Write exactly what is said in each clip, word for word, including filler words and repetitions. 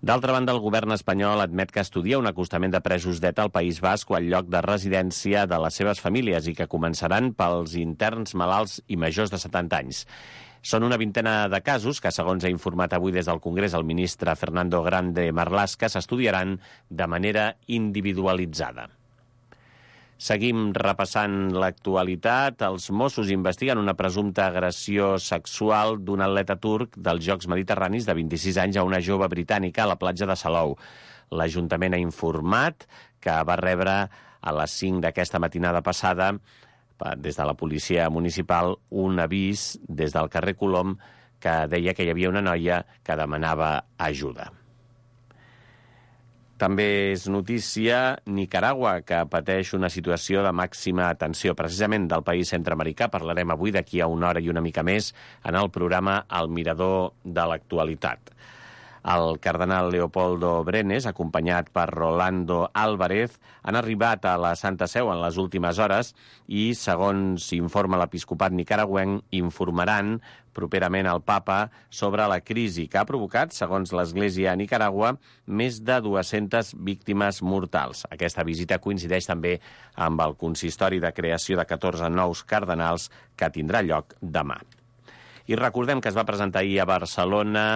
D'altra banda, el govern espanyol admet que estudia un acostament de presos d'E T A al País Basc o al lloc de residència de les seves famílies i que començaran pels interns malalts i majors de setanta anys. Són una vintena de casos que, segons ha informat avui des del Congrés el ministre Fernando Grande Marlaska, s'estudiaran de manera individualitzada. Seguim repassant l'actualitat. Els Mossos investiguen una presumpta agressió sexual d'un atleta turc dels Jocs Mediterranis de vint-i-sis anys a una jove britànica a la platja de Salou. L'Ajuntament ha informat que va rebre a les cinc d'aquesta matinada passada des de la policia municipal un avís des del carrer Colom que deia que hi havia una noia que demanava ajuda. També és notícia Nicaragua, que pateix una situació de màxima tensió. Precisament del país centreamericà parlarem avui d'aquí a una hora i una mica més en el programa El Mirador de l'Actualitat. El cardenal Leopoldo Brenes, acompanyat per Rolando Álvarez, han arribat a la Santa Seu en les últimes hores i, segons informa l'episcopat nicaragüenc, informaran properament al papa sobre la crisi que ha provocat, segons l'Església a Nicaragua, més de dues-centes víctimes mortals. Aquesta visita coincideix també amb el consistori de creació de catorze nous cardenals que tindrà lloc demà. I recordem que es va presentar ahir a Barcelona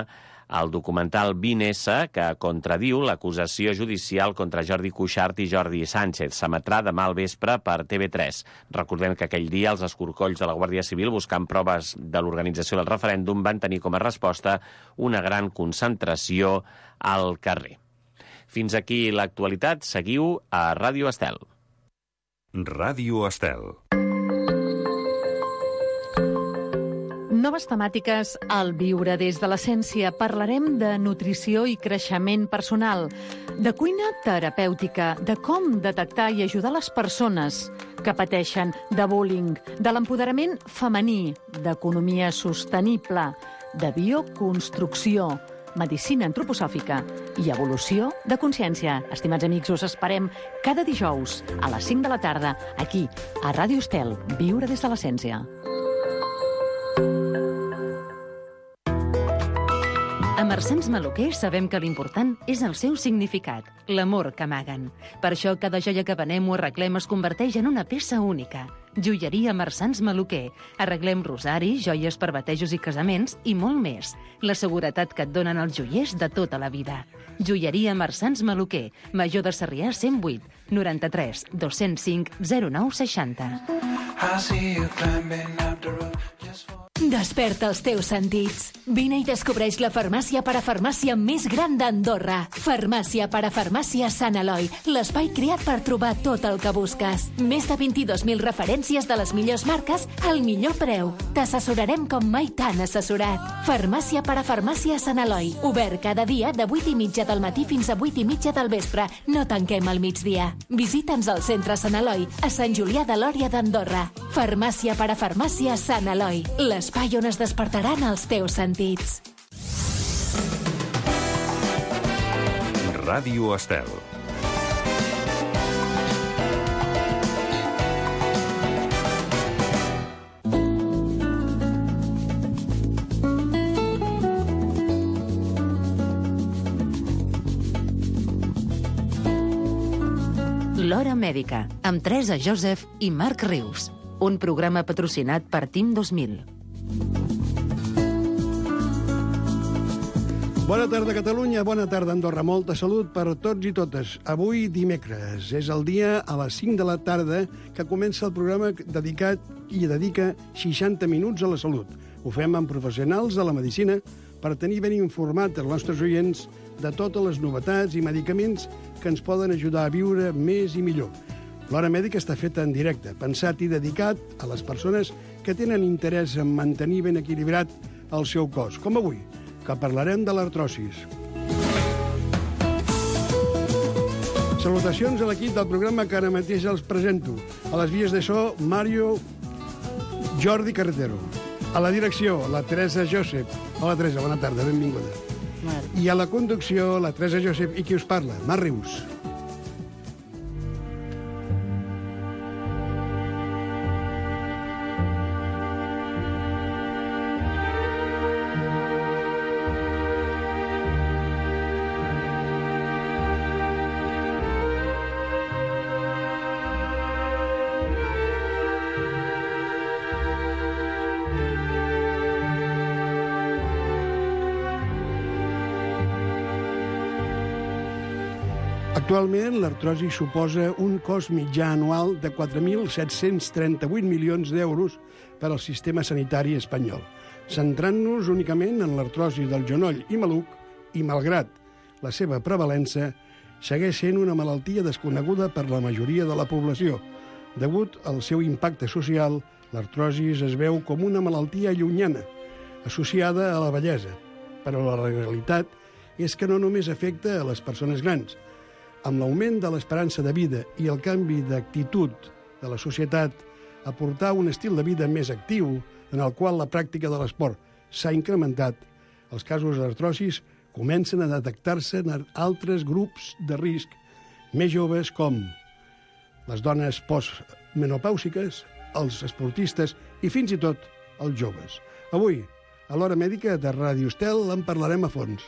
el documental vint esse, que contradiu l'acusació judicial contra Jordi Cuixart i Jordi Sánchez. S'emetrà demà al vespre per T V tres. Recordem que aquell dia els escorcolls de la Guàrdia Civil, buscant proves de l'organització del referèndum, van tenir com a resposta una gran concentració al carrer. Fins aquí l'actualitat. Seguiu a Ràdio Estel. Ràdio Estel. Noves temàtiques al Viure des de l'Essència. Parlarem de nutrició i creixement personal, de cuina terapèutica, de com detectar i ajudar les persones que pateixen de bullying, de l'empoderament femení, d'economia sostenible, de bioconstrucció, medicina antroposòfica i evolució de consciència. Estimats amics, us esperem cada dijous a les cinc de la tarda, aquí, a Ràdio Estel, Viure des de l'Essència. A Marsans Maluquer sabem que l'important és el seu significat, l'amor que amaguen. Per això cada joia que venem o arreglem es converteix en una peça única. Joieria Marsans Maluquer. Arreglem rosaris, joies per batejos i casaments i molt més. La seguretat que et donen els joiers de tota la vida. Joieria Marsans Maluquer. Major de Sarrià cent vuit, noranta-tres, dos-cents cinc, zero nou seixanta. Desperta els teus sentits. Vine i descobreix la farmàcia parafarmàcia més gran d'Andorra. Farmàcia parafarmàcia Sant Eloi, l'espai creat per trobar tot el que busques. Més de vint-i-dos mil referències de les millors marques al millor preu. T'assessorarem com mai t'han assessorat. Farmàcia parafarmàcia Sant Eloi, obert cada dia de vuit i mitja del matí fins a vuit i mitja del vespre. No tanquem al migdia. Visita'ns al centre Sant Eloi, a Sant Julià de Lòria d'Andorra. Farmàcia parafarmàcia Sant Eloi, l'espai on es despertaran els teus sentits. Ràdio Estel. L'Hora Mèdica, amb Teresa Joseph i Marc Rius. Un programa patrocinat per Team dos mil. Bona tarda, Catalunya. Bona tarda, Andorra. Molta salut per tots i totes. Avui, dimecres, és el dia a les cinc de la tarda que comença el programa dedicat i dedica seixanta minuts a la salut. Ho fem amb professionals de la medicina per tenir ben informat els nostres oients de totes les novetats i medicaments que ens poden ajudar a viure més i millor. L'Hora Mèdica està feta en directe, pensat i dedicat a les persones que tenen interès en mantenir ben equilibrat el seu cos, com avui, que parlarem de l'artrosis. Salutacions a l'equip del programa que ara mateix els presento. A les vies de so, Mario Jordi Carretero. A la direcció, la Teresa Joseph. Hola, Teresa, bona tarda, benvinguda. I a la conducció, la Teresa Joseph i qui us parla, Marc Rius. Actualment, l'artrosi suposa un cost mitjà anual de quatre mil set-cents trenta-vuit milions d'euros per al sistema sanitari espanyol, centrant-nos únicament en l'artrosi del genoll i maluc i, malgrat la seva prevalença, segueix sent una malaltia desconeguda per la majoria de la població. Degut al seu impacte social, l'artrosi es veu com una malaltia llunyana, associada a la vellesa, però la realitat és que no només afecta a les persones grans. Amb l'augment de l'esperança de vida i el canvi d'actitud de la societat a portar un estil de vida més actiu, en el qual la pràctica de l'esport s'ha incrementat, els casos d'artrosis comencen a detectar-se en altres grups de risc més joves, com les dones postmenopàusiques, els esportistes i fins i tot els joves. Avui, a l'Hora Mèdica de Ràdio Estel, en parlarem a fons.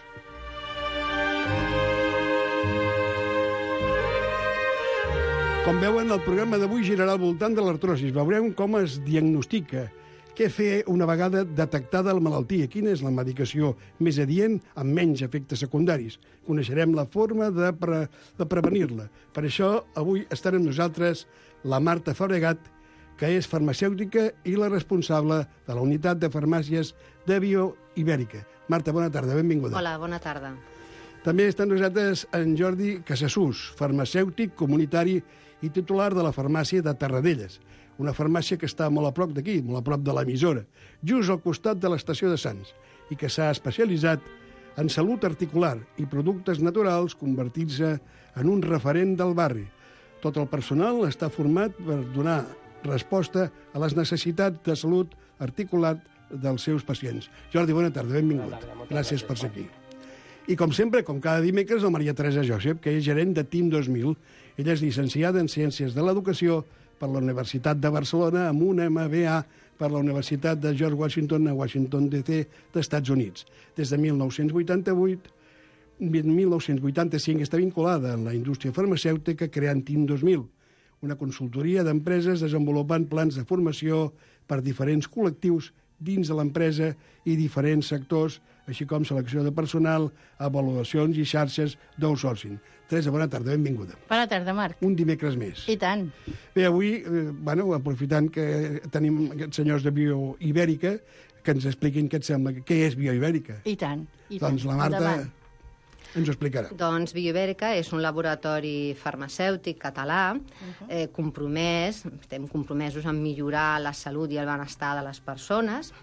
Com veuen, el programa d'avui girarà al voltant de l'artrosis. Veurem com es diagnostica, què fer una vegada detectada la malaltia, quina és la medicació més adient amb menys efectes secundaris. Coneixerem la forma de, pre de prevenir-la. Per això, avui estan amb nosaltres la Marta Fabregat, que és farmacèutica i la responsable de la unitat de farmàcies de Bioibèrica. Marta, bona tarda, benvinguda. Hola, bona tarda. També està amb nosaltres en Jordi Casassús, farmacèutic, comunitari i titular de la farmàcia de Terradelles, una farmàcia que està molt a prop d'aquí, molt a prop de l'emissora, just al costat de l'estació de Sants, i que s'ha especialitzat en salut articular i productes naturals, convertint-se en un referent del barri. Tot el personal està format per donar resposta a les necessitats de salut articular dels seus pacients. Jordi, bona tarda, benvingut. Gràcies per ser aquí. I com sempre, com cada dimecres, la Maria Teresa Josep, que és gerent de Team dos mil. Ella és llicenciada en Ciències de l'Educació per la Universitat de Barcelona amb un M B A per la Universitat de George Washington a Washington, D C d'Estats Units. Des de mil nou-cents vuitanta-vuit, mil nou-cents vuitanta-cinc està vinculada en la indústria farmacèutica creant Team dos mil, una consultoria d'empreses desenvolupant plans de formació per diferents col·lectius dins de l'empresa i diferents sectors, així com selecció de personal, avaluacions i xarxes d'outsourcing. Teresa, bona tarda, benvinguda. Bona tarda, Marc. Un dimecres més. I tant. Bé, avui, eh, bueno, aprofitant que tenim aquests senyors de Bioibèrica, que ens expliquin què et sembla, què és Bioibèrica. I tant. I doncs tant. la Marta Endavant. ens ho explicarà. Doncs Bioibèrica és un laboratori farmacèutic català, uh-huh. eh, compromès, estem compromesos en millorar la salut i el benestar de les persones.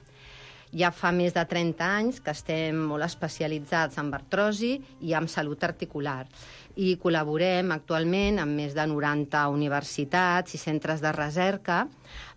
Ja fa més de trenta anys que estem molt especialitzats en artrosi i en salut articular. I col·laborem actualment amb més de noranta universitats i centres de recerca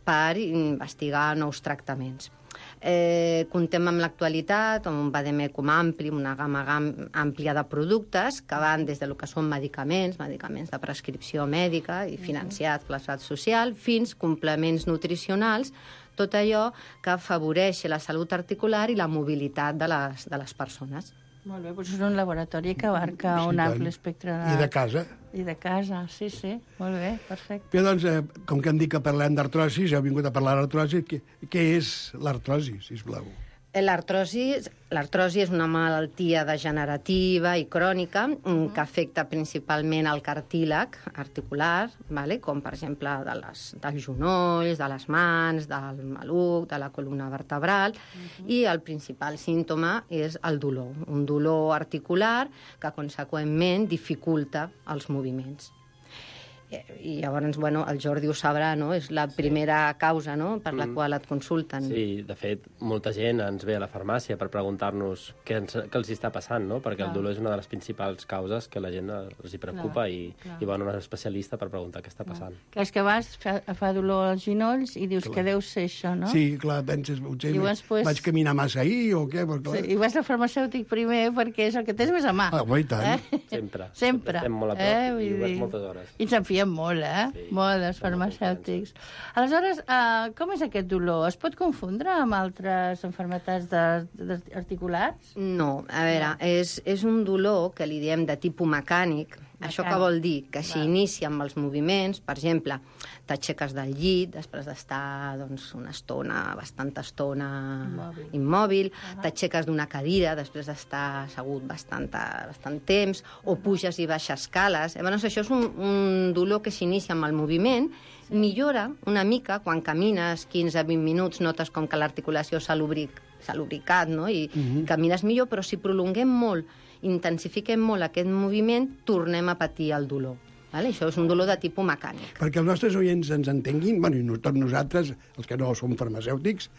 per investigar nous tractaments. Eh, contem amb l'actualitat, amb un vademecum ampli, una gamma àmplia de productes que van des del que són medicaments, medicaments de prescripció mèdica i financiats per l'estat social, fins complements nutricionals, tot allò que afavoreix la salut articular i la mobilitat de les, de les persones. Molt bé, doncs és un laboratori que abarca Sí, un tant. ampli espectre de... I de casa. I de casa, sí, sí. Molt bé, perfecte. Bé, doncs, eh, com que hem dit que parlem d'artrosis, ja heu vingut a parlar d'artrosi, què, què és l'artrosi, sisplau? L'artrosi l'artrosi és una malaltia degenerativa i crònica uh-huh. que afecta principalment el cartílag articular, vale? Com per exemple de les, dels genolls, de les mans, del maluc, de la columna vertebral, uh-huh. i el principal símptoma és el dolor, un dolor articular que conseqüentment dificulta els moviments. I llavors, bueno, el Jordi ho sabrà, no? És la primera causa, no?, per la mm. qual et consulten. Sí, de fet, molta gent ens ve a la farmàcia per preguntar-nos què, ens, què els està passant, no? Perquè clar. El dolor és una de les principals causes que la gent els hi preocupa clar, i, clar. i van a un especialista per preguntar què està passant. Clar, és que vas, fa, fa dolor als genolls i dius clar. que deu ser això, no? Sí, clar, penses, potser llavors, pues, vaig caminar massa ahir o què? Perquè, sí, i vas al farmacèutic primer perquè és el que tens més a mà. Ah, bo, i tant. Eh? Sempre. Sempre. Estem molt a prop eh? i ho veig moltes hores. I ens en fiem molt, eh? Sí. Molt, els farmacèutics. Aleshores, uh, com és aquest dolor? Es pot confondre amb altres malalties de, de, articulars? No, a veure, és, és un dolor que li diem de tipus mecànic, Això què vol dir? Que s'inicia amb els moviments, per exemple, t'aixeques del llit, després d'estar doncs, una estona, bastanta estona immòbil, immòbil uh-huh. t'aixeques d'una cadira, després d'estar assegut bastant, bastant temps, o puges i baixes escales. Llavors, això és un, un dolor que s'inicia amb el moviment, millora una mica quan camines quinze a vint minuts, notes com que l'articulació s'ha lubric, s'ha lubricat, no? I uh-huh. camines millor, però si prolonguem molt, intensifiquem molt aquest moviment, tornem a patir el dolor. Vale? Això és un dolor de tipus mecànic. Perquè els nostres oients ens entenguin, bueno, i tots nosaltres, els que no som farmacèutics,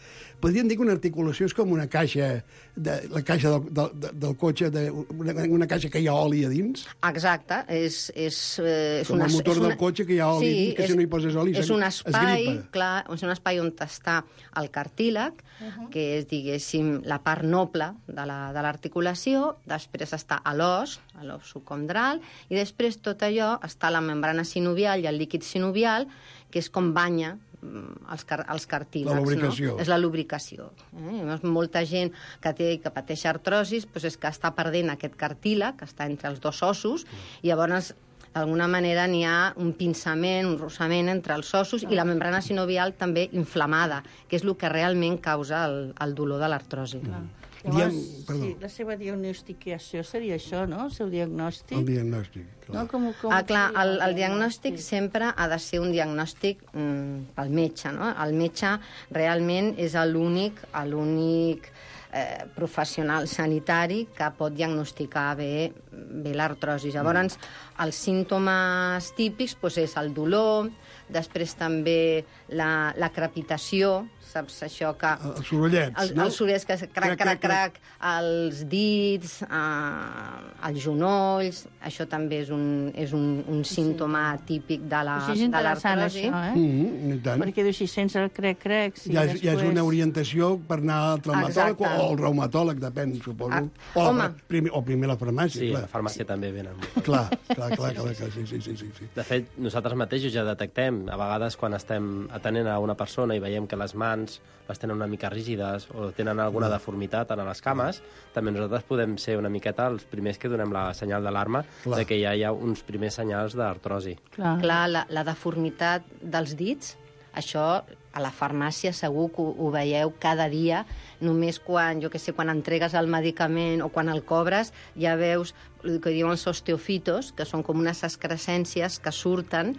podríem dir que una articulació és com una caixa, de, la caixa del, del, del cotxe, de, una, una caixa que hi ha oli a dins. Exacte. És, és, és com una, el motor és una, del cotxe que hi ha oli sí, a dins, que és, si no hi poses oli és un espai, es clar, és un espai on està el cartílag, uh-huh. que és, diguéssim, la part noble de l'articulació, la, després està a l'os, a l'os subcondral, i després tot allò està la membrana sinovial i el líquid sinovial, que és com banya els, car els cartílags. La lubricació. No? És la lubricació. Eh? Molta gent que, té, que pateix artrosis doncs és que està perdent aquest cartílag, que està entre els dos ossos, i llavors d'alguna manera n'hi ha un pinçament, un rossament entre els ossos, i la membrana sinovial també inflamada, que és el que realment causa el, el dolor de l'artrosi. Mm. Diem, sí, la seva diagnosticació seria això, no? El seu diagnòstic. El diagnòstic, clar. No, com, com ah, clar, el, el diagnòstic sempre ha de ser un diagnòstic mm, pel metge, no? El metge realment és l'únic l'únic eh, professional sanitari que pot diagnosticar bé, bé l'artrosi. Llavors, els símptomes típics doncs, és el dolor, després també la, la crepitació, saps això que... Els sorollets, el, no? Els sorollets que crac, crac, crac, els dits, eh, els genolls, això també és un, és un, un símptoma típic de l'artrosi. És interessant, això, eh? Mm, tant. Perquè dius, si sense el crec-crec... Si ja, és, després... ja és una orientació per anar al traumatòleg Exacte. o al reumatòleg, depèn, suposo. Ah, o, home. primer, o primer la farmàcia, Sí, clar. la farmàcia també venen. Clar, clar, clar, clar, clar, sí, sí, sí, sí, sí. De fet, nosaltres mateixos ja detectem, a vegades quan estem atenent a una persona i veiem que les mans les tenen una mica rígides o tenen alguna deformitat en les cames, també nosaltres podem ser una miqueta els primers que donem la senyal d'alarma de que ja hi ha uns primers senyals d'artrosi. Clar, Clar la, la deformitat dels dits, això a la farmàcia segur que ho, ho veieu cada dia, només quan, jo que sé, quan entregues el medicament o quan el cobres, ja veus el que diuen els osteofitos, que són com unes excrescències que surten,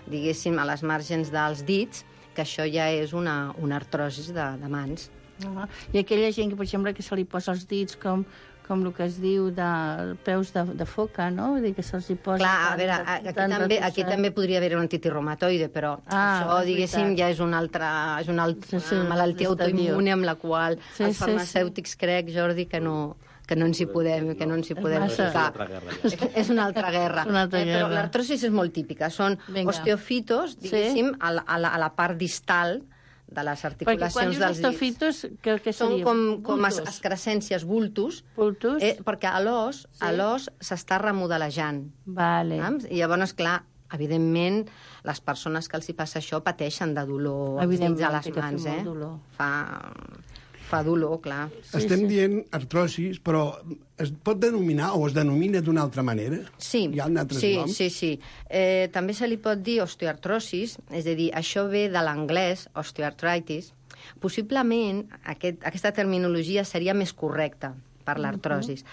diguéssim, a les margens dels dits, que això ja és una, una artrosi de, de mans. Uh-huh. I aquella gent que, per exemple, que se li posa els dits com, com el que es diu de peus de, de foca, no? Vull dir que se'ls hi posa... Clar, a tan- veure, tan- aquí tan també, aquí retorçat. també podria haver un artritis però Ah, això, és diguéssim, veritat. ja és una altra, és una altra Sí, sí, malaltia un estadio. autoimmune amb la qual Sí, els sí, farmacèutics crec, Jordi, que no, que no ens hi podem, que no ens hi podem massa. ficar. És una altra guerra, ja. És una altra guerra. És una altra Eh, però guerra. l'artrosis és molt típica. Són Vinga. osteofitos, diguéssim, a, la, a, la, a la part distal de les Perquè quan articulacions dius dels dits. osteofitos, què, què Són seria? com, com es- Bultos? excrescències, bultos, Bultos? eh, perquè a l'os Sí. a l'os s'està remodelejant. Vale. Saps? I llavors, clar, evidentment, les persones que els hi passa això pateixen de dolor als dits Evidentment, a les que té mans, molt eh? dolor. Fa, fa dolor, clar. Sí, Estem sí. dient artrosis, però es pot denominar o es denomina d'una altra manera? Sí, Hi ha altres sí, noms? sí, sí. Eh, també se li pot dir osteoartrosis, és a dir, això ve de l'anglès, osteoartritis. Possiblement aquest, aquesta terminologia seria més correcta per l'artrosis,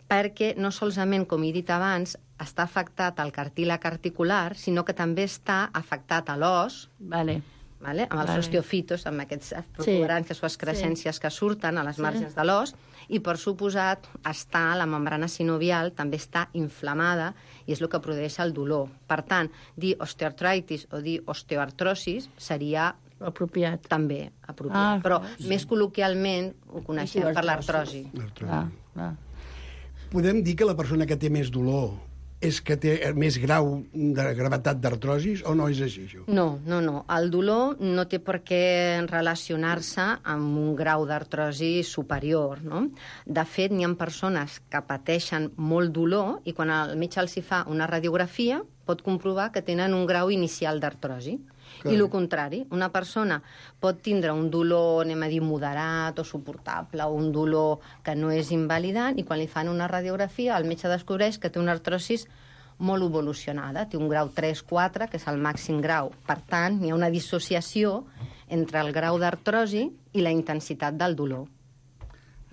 perquè no solament, com he dit abans, està afectat el cartílag articular, sinó que també està afectat a l'os, Vale. vale? amb els Vale. osteofitos, amb aquests protuberàncies o excrescències que surten a les marges de l'os, i per suposat està la membrana sinovial, també està inflamada, i és el que produeix el dolor. Per tant, dir osteoartritis o dir osteoartrosis seria Apropiat. també apropiat. Ah, Però sí. més col·loquialment ho coneixem per l'artrosi. L'artrosi. Clar, clar. Podem dir que la persona que té més dolor és que té més grau de gravetat d'artrosis o no és així, això? No, no, no. El dolor no té per què relacionar-se amb un grau d'artrosi superior, no? De fet, n'hi ha persones que pateixen molt dolor i quan el metge els hi fa una radiografia pot comprovar que tenen un grau inicial d'artrosi. I el contrari, una persona pot tindre un dolor, anem a dir, moderat o suportable, o un dolor que no és invalidant, i quan li fan una radiografia el metge descobreix que té una artrosis molt evolucionada, té un grau tres quatre, que és el màxim grau. Per tant, hi ha una dissociació entre el grau d'artrosi i la intensitat del dolor.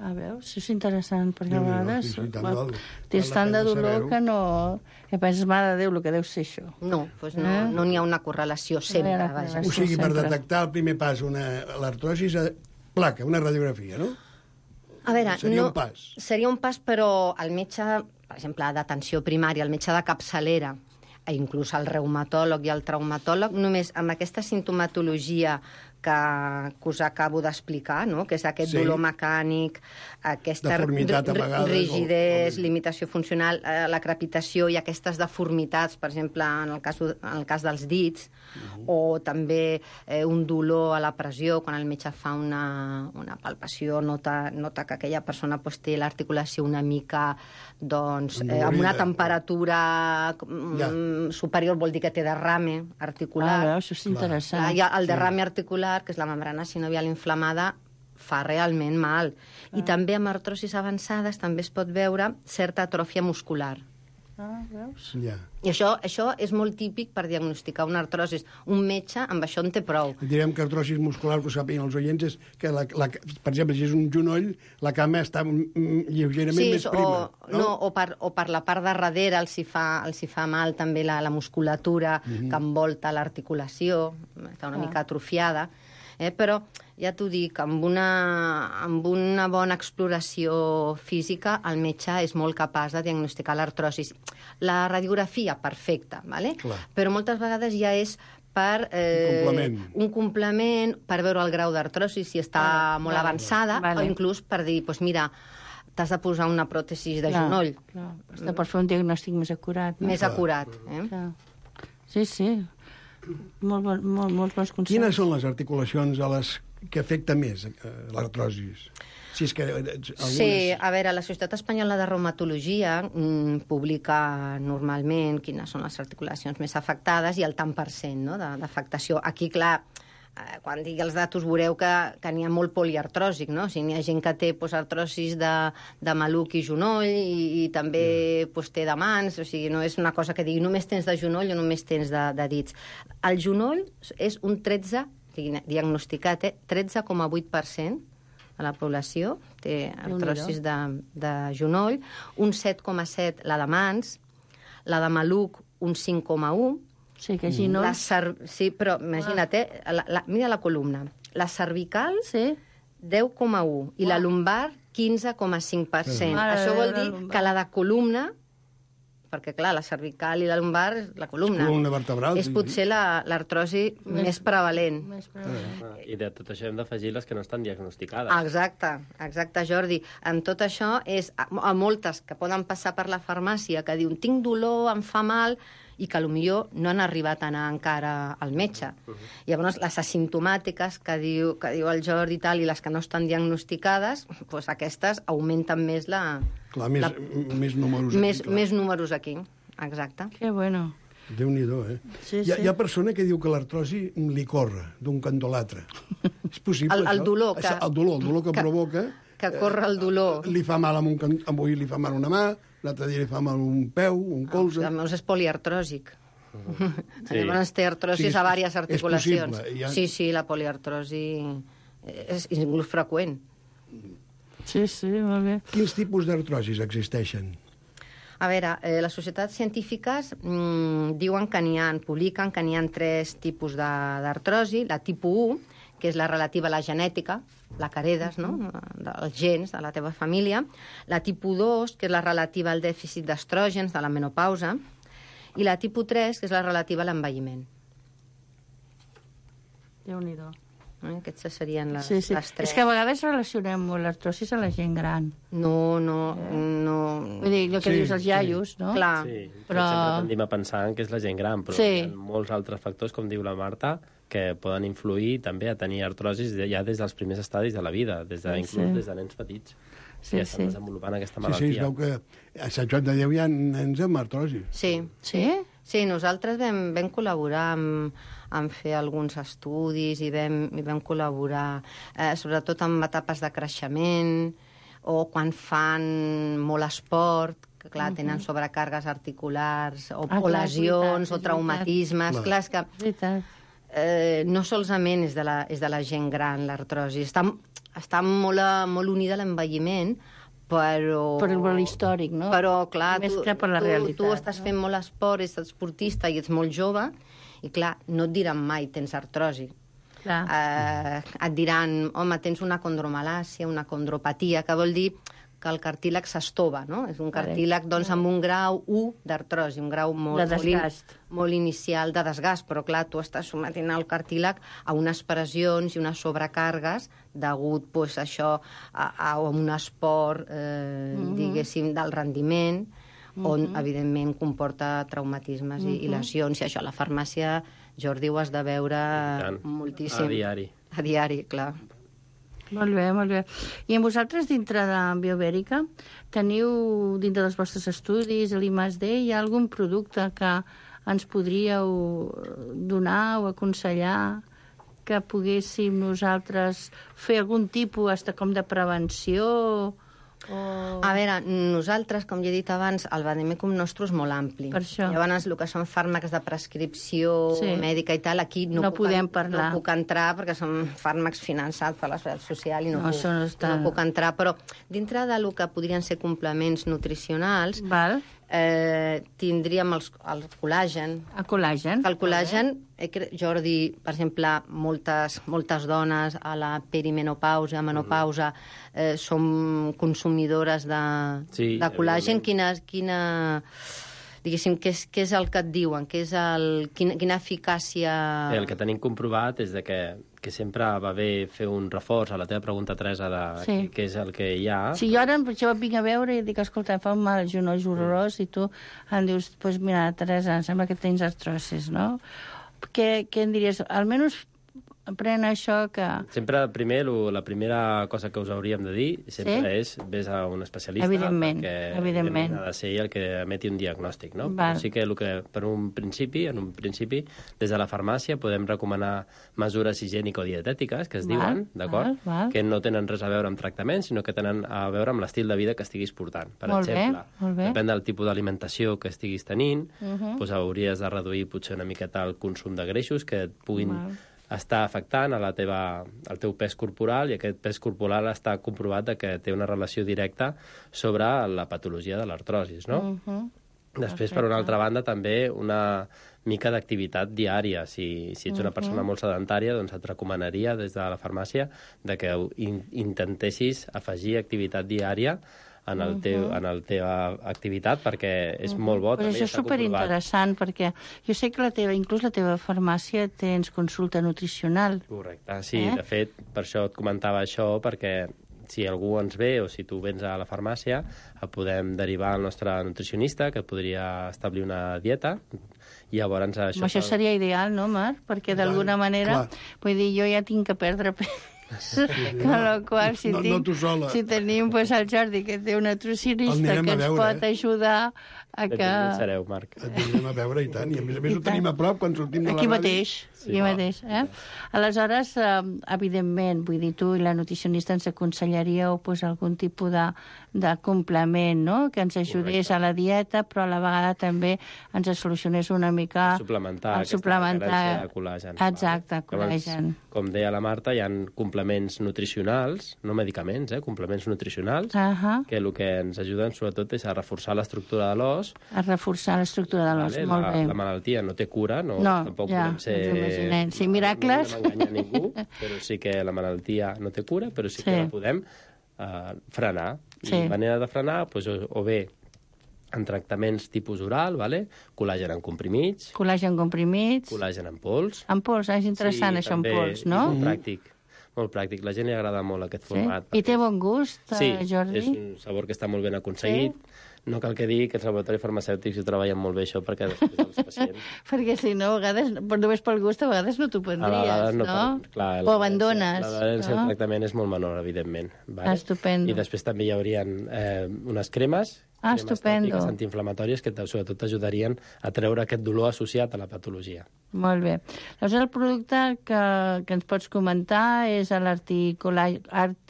A veure, això és interessant, perquè a vegades sí, sí, tant va- val- tens val la tant de pena dolor saber-ho. que no... Que penses, mare de Déu, el que deu ser això. No, doncs no, Eh? no n'hi ha una correlació sempre, Era- vaja. era- O sigui, per sempre. detectar el primer pas, una l'artrosi, és placa, una radiografia, no? A veure, Seria no, un pas. Seria un pas, però el metge, per exemple, d'atenció primària, el metge de capçalera, i inclús el reumatòleg i el traumatòleg, només amb aquesta sintomatologia que, que us acabo d'explicar, no? Que és aquest Sí. dolor mecànic, aquesta Deformitat, a ri- vegades, rigidesa, o- o- limitació funcional, eh, la crepitació i aquestes deformitats, per exemple, en el cas, en el cas dels dits, Mhm. o també eh, un dolor a la pressió, quan el metge fa una, una palpació, nota, nota que aquella persona pues, té l'articulació una mica doncs, eh, amb una Endolorida. temperatura mm, superior, vol dir que té derrame articular. Ah, veus, això és interessant. Clar, hi ha el derrame articular, que és la membrana sinovial inflamada, fa realment mal. I també amb artrosis avançades també es pot veure certa atròfia muscular. Ah, veus? Ja. I això, això és molt típic per diagnosticar una artrosis. Un metge amb això en té prou. Direm que artrosis muscular, que ho sàpiguen els oients, és que, la, la, per exemple, si és un genoll, la cama està mm, lleugerament més o, prima. no? No, o, per, o per la part de darrere els hi fa, els hi fa mal també la, la musculatura mm -hmm. que envolta l'articulació, està una Ah. mica atrofiada, eh? Però ja t'ho dic, amb una, amb una bona exploració física el metge és molt capaç de diagnosticar l'artrosis. La radiografia, perfecta, ¿vale? Clar. Però moltes vegades ja és per eh, Un complement. un complement, per veure el grau d'artrosi, si està molt vale. avançada, Vale. o inclús per dir, doncs mira, t'has de posar una pròtesi de Clar, genoll, Clar. Està per fer un diagnòstic més acurat. No? més acurat. Eh? Clar. Sí, sí. Molt, bon, molt, molts bons consells. Quines són les articulacions a les que afecta més eh, l'artrosis? Si és que eh, algunes... Sí, a veure, la Societat Espanyola de Reumatologia mm, publica normalment quines són les articulacions més afectades i el tant per cent, no?, de- d'afectació. Aquí, clar, eh, quan digui els datos veureu que, que n'hi ha molt poliartròsic, no? O sigui, n'hi ha gent que té pues, artrosis de, de maluc i genoll i, i també pues, té de mans, o sigui, no és una cosa que digui només tens de genoll o només tens de, de dits. El genoll és un tretze, diagnosticat, eh? tretze coma vuit per cent de la població té artrosis de, de genoll, un set coma set la de mans, la de maluc un cinc coma u, Sí, que genoll... la cer... sí, però imagina't, eh? la, la, mira la columna, la cervical Sí? deu coma u i la lumbar quinze coma cinc per cent. Mare Això de vol Déu, la dir lumbar. que la de columna, perquè clar, la cervical i la lumbar és la columna, És columna vertebral, és sí, potser la- l'artrosi Més- més prevalent. Més prevalent. Ah, I de tot això hem d'afegir les que no estan diagnosticades. Exacte, exacte, Jordi. En tot això és a, a moltes que poden passar per la farmàcia que diuen tinc dolor, em fa mal, i que potser no han arribat a anar encara al metge. Uh -huh. Llavors, les asimptomàtiques que diu, que diu el Jordi i tal, i les que no estan diagnosticades, doncs aquestes augmenten més la... Clar, més, la, més números més, aquí, clar. més números aquí, exacte. Que bueno. Déu-n'hi-do, eh? Sí, hi, ha, sí. hi ha persona que diu que l'artrosi li corre d'un cantó a l'altre. És possible, El- el això? dolor que- Això, el dolor, el dolor que, que- provoca... Que corre el dolor. Li fa mal amb un can... avui li fa mal una mà, l'altre dia li fa mal un peu, un colze... Llavors és poliartròsic. Sí. Llavors té artrosis Sí, és- a diverses és articulacions. possible, hi ha- Sí, sí, la poliartrosi és inclús freqüent. Sí, sí, molt bé. Quins tipus d'artrosis existeixen? A veure, eh, les societats científiques mm, diuen que n'hi ha, publiquen que n'hi ha tres tipus de- d'artrosi. La tipus u, que és la relativa a la genètica, la que heredes, no?, dels gens de la teva família. La tipus dos, que és la relativa al dèficit d'estrògens de la menopausa. I la tipus tres, que és la relativa a l'envelliment. Déu-n'hi-do. Eh? Aquestes serien les, Sí, sí. les tres. És que a vegades relacionem molt l'artrosis a la gent gran. No, no, no... Vull dir, el que Sí, dius els iaios, no? Clar. Sí, Però- però... sempre tendim a pensar en que és la gent gran, però Sí. hi ha molts altres factors, com diu la Marta, que poden influir també a tenir artrosis ja des dels primers estadis de la vida, des de, Sí, inclús sí. des de nens petits, Sí, que ja estan sí. desenvolupant aquesta Sí, sí, es malaltia. veu que a Sant Joan de Déu hi ha nens amb artrosi. Sí, Sí? sí, nosaltres vam, vam col·laborar amb, amb fer alguns estudis i vam, i vam col·laborar eh, sobretot amb etapes de creixement o quan fan molt esport, que clar, tenen sobrecàrregues articulars o, Ah, o clar, és lesions veritat, o és traumatismes. veritat. Clar, és que Veritat. eh, no solament és de la, és de la gent gran, l'artrosi. Està, està molt, a- molt unida a l'envelliment, però... Per l'històric, no? Però, clar, Més tu, que per la tu, realitat, tu estàs no? fent molt esport, ets esportista i ets molt jove, i clar, no et diran mai tens artrosi. Clar. Eh, et diran, home, tens una condromalàcia, una condropatia, que vol dir que el cartílag s'estova, no? És un cartílag, doncs, amb un grau u d'artrosi, un grau molt, De molt, in- desgast. molt inicial de desgast, però clar, tu estàs sometent el cartílag a unes pressions i unes sobrecàrregues degut, pues, això, a, a un esport, eh, Mhm. diguéssim, d'alt rendiment, on, evidentment, comporta traumatismes i, i lesions. I això a la farmàcia, Jordi, ho has de veure tant. moltíssim. A diari. A diari, clar. Molt bé, molt bé. I amb vosaltres, dintre de Biobèrica, teniu, dintre dels vostres estudis, a l'I M A S D, hi ha algun producte que ens podríeu donar o aconsellar que poguéssim nosaltres fer algun tipus hasta com de prevenció? O... A veure, nosaltres, com ja he dit abans, el vademecum nostre és molt ampli. Per això. Llavors, el que són fàrmacs de prescripció Sí. mèdica i tal, aquí no, No puc, podem parlar. No puc entrar perquè són fàrmacs finançats per la Seguretat Social i no, No, puc, això no està- no puc entrar. Però dintre del que podrien ser complements nutricionals, Val? eh, tindríem els, el col·làgen. A col·làgen. El col·làgen, eh, cre- Jordi, per exemple, moltes, moltes dones a la perimenopausa, menopausa, eh, són consumidores de, Sí, de col·làgen. evidentment. Quina, quina, diguéssim, què és, què és el que et diuen? Què és el, quina, quina eficàcia... Bé, el que tenim comprovat és de que, que sempre va bé fer un reforç a la teva pregunta, Teresa, de Sí. què, què és el que hi ha. Si jo ara per això et vinc a veure i dic, escolta, em fa un mal genoll horrorós, i tu em dius, doncs pues mira, Teresa, em sembla que tens artrosis, no? Què, què em diries? Almenys pren això que... Sempre, primer, lo, la primera cosa que us hauríem de dir sempre Sí? és vés a un especialista, Evidentment, perquè evidentment. ha de ser ell el que emeti un diagnòstic, no? Val. Però sí que, el que per un principi, en un principi, des de la farmàcia podem recomanar mesures higiènico-dietètiques, que es Val, diuen, d'acord? val, val. Que no tenen res a veure amb tractament, sinó que tenen a veure amb l'estil de vida que estiguis portant. Per Molt bé, exemple, molt bé. depèn del tipus d'alimentació que estiguis tenint, Uh -huh. doncs hauries de reduir potser una miqueta el consum de greixos que et puguin Val. està afectant a la teva, al teu pes corporal, i aquest pes corporal està comprovat de que té una relació directa sobre la patologia de l'artrosis, no? Uh -huh. Després, per una altra banda, també una mica d'activitat diària. Si, si ets una persona molt sedentària, doncs et recomanaria des de la farmàcia de que in, intentessis afegir activitat diària en el teu, en la teva activitat, perquè és molt bo. Però també això és està comprovat. superinteressant, perquè jo sé que la teva, inclús la teva farmàcia tens consulta nutricional. Correcte, sí, Eh? de fet, per això et comentava això, perquè si algú ens ve o si tu vens a la farmàcia, et podem derivar al nostre nutricionista, que et podria establir una dieta, i llavors això... Això, això seria ideal, no, Marc? Perquè d'alguna manera, clar. vull dir, jo ja tinc que perdre pes. Con la qual, si, No- no tinc, tu sola. si tenim pues, el Jordi, que té una El nutricionista anirem que a ens veure, pot eh? ajudar a que... Benvinguts sereu, Marc. Et vindrem a veure, i tant. I a més a més I ho tenim tant. a prop quan sortim de la Aquí ràdio. mateix, Sí. aquí mateix, eh? Aleshores, eh, evidentment, vull dir, tu i la nutricionista ens aconsellaríeu pues, algun tipus de, de complement, no?, que ens ajudés Correcte. a la dieta, però a la vegada també ens solucionés una mica... suplementar el aquesta suplementar... carència de col·làgen. Exacte, Llavors, col·làgen. com deia la Marta, hi ha complements nutricionals, no medicaments, eh? complements nutricionals, Uh-huh. que el que ens ajuden sobretot és a reforçar l'estructura de l'os. A reforçar l'estructura de l'os, Vale? molt la, bé. la malaltia no té cura, no, No, tampoc ja, podem ser... ens ho imaginem. Sí, miracles. No volem enganyar ningú, però sí que la malaltia no té cura, però sí que Sí. la podem uh, frenar. Sí. I la manera de frenar, doncs, o, o bé en tractaments tipus oral, vale? Col·làgen en comprimits, Col·làgen comprimits. col·làgen en pols. En pols, eh? És interessant això en també, pols, i no? Molt pràctic, molt pràctic. La gent li agrada molt aquest Sí? format. I té bon gust, Sí, eh, Jordi? és un sabor que està molt ben aconseguit. No cal que digui que els laboratoris farmacèutics ho treballen molt bé, això, perquè després els pacients... Perquè si no, a vegades, per només pel gust, a vegades no t'ho A prendries, vegades no? per- clar, o abandones, L'adherència no? al tractament és molt menor, evidentment. Vale? Estupendo. I després també hi haurien eh, unes cremes Ah, Cremes estupendo. tòpiques antiinflamatòries que sobretot t'ajudarien a treure aquest dolor associat a la patologia. Molt bé. Llavors, el producte que, que ens pots comentar és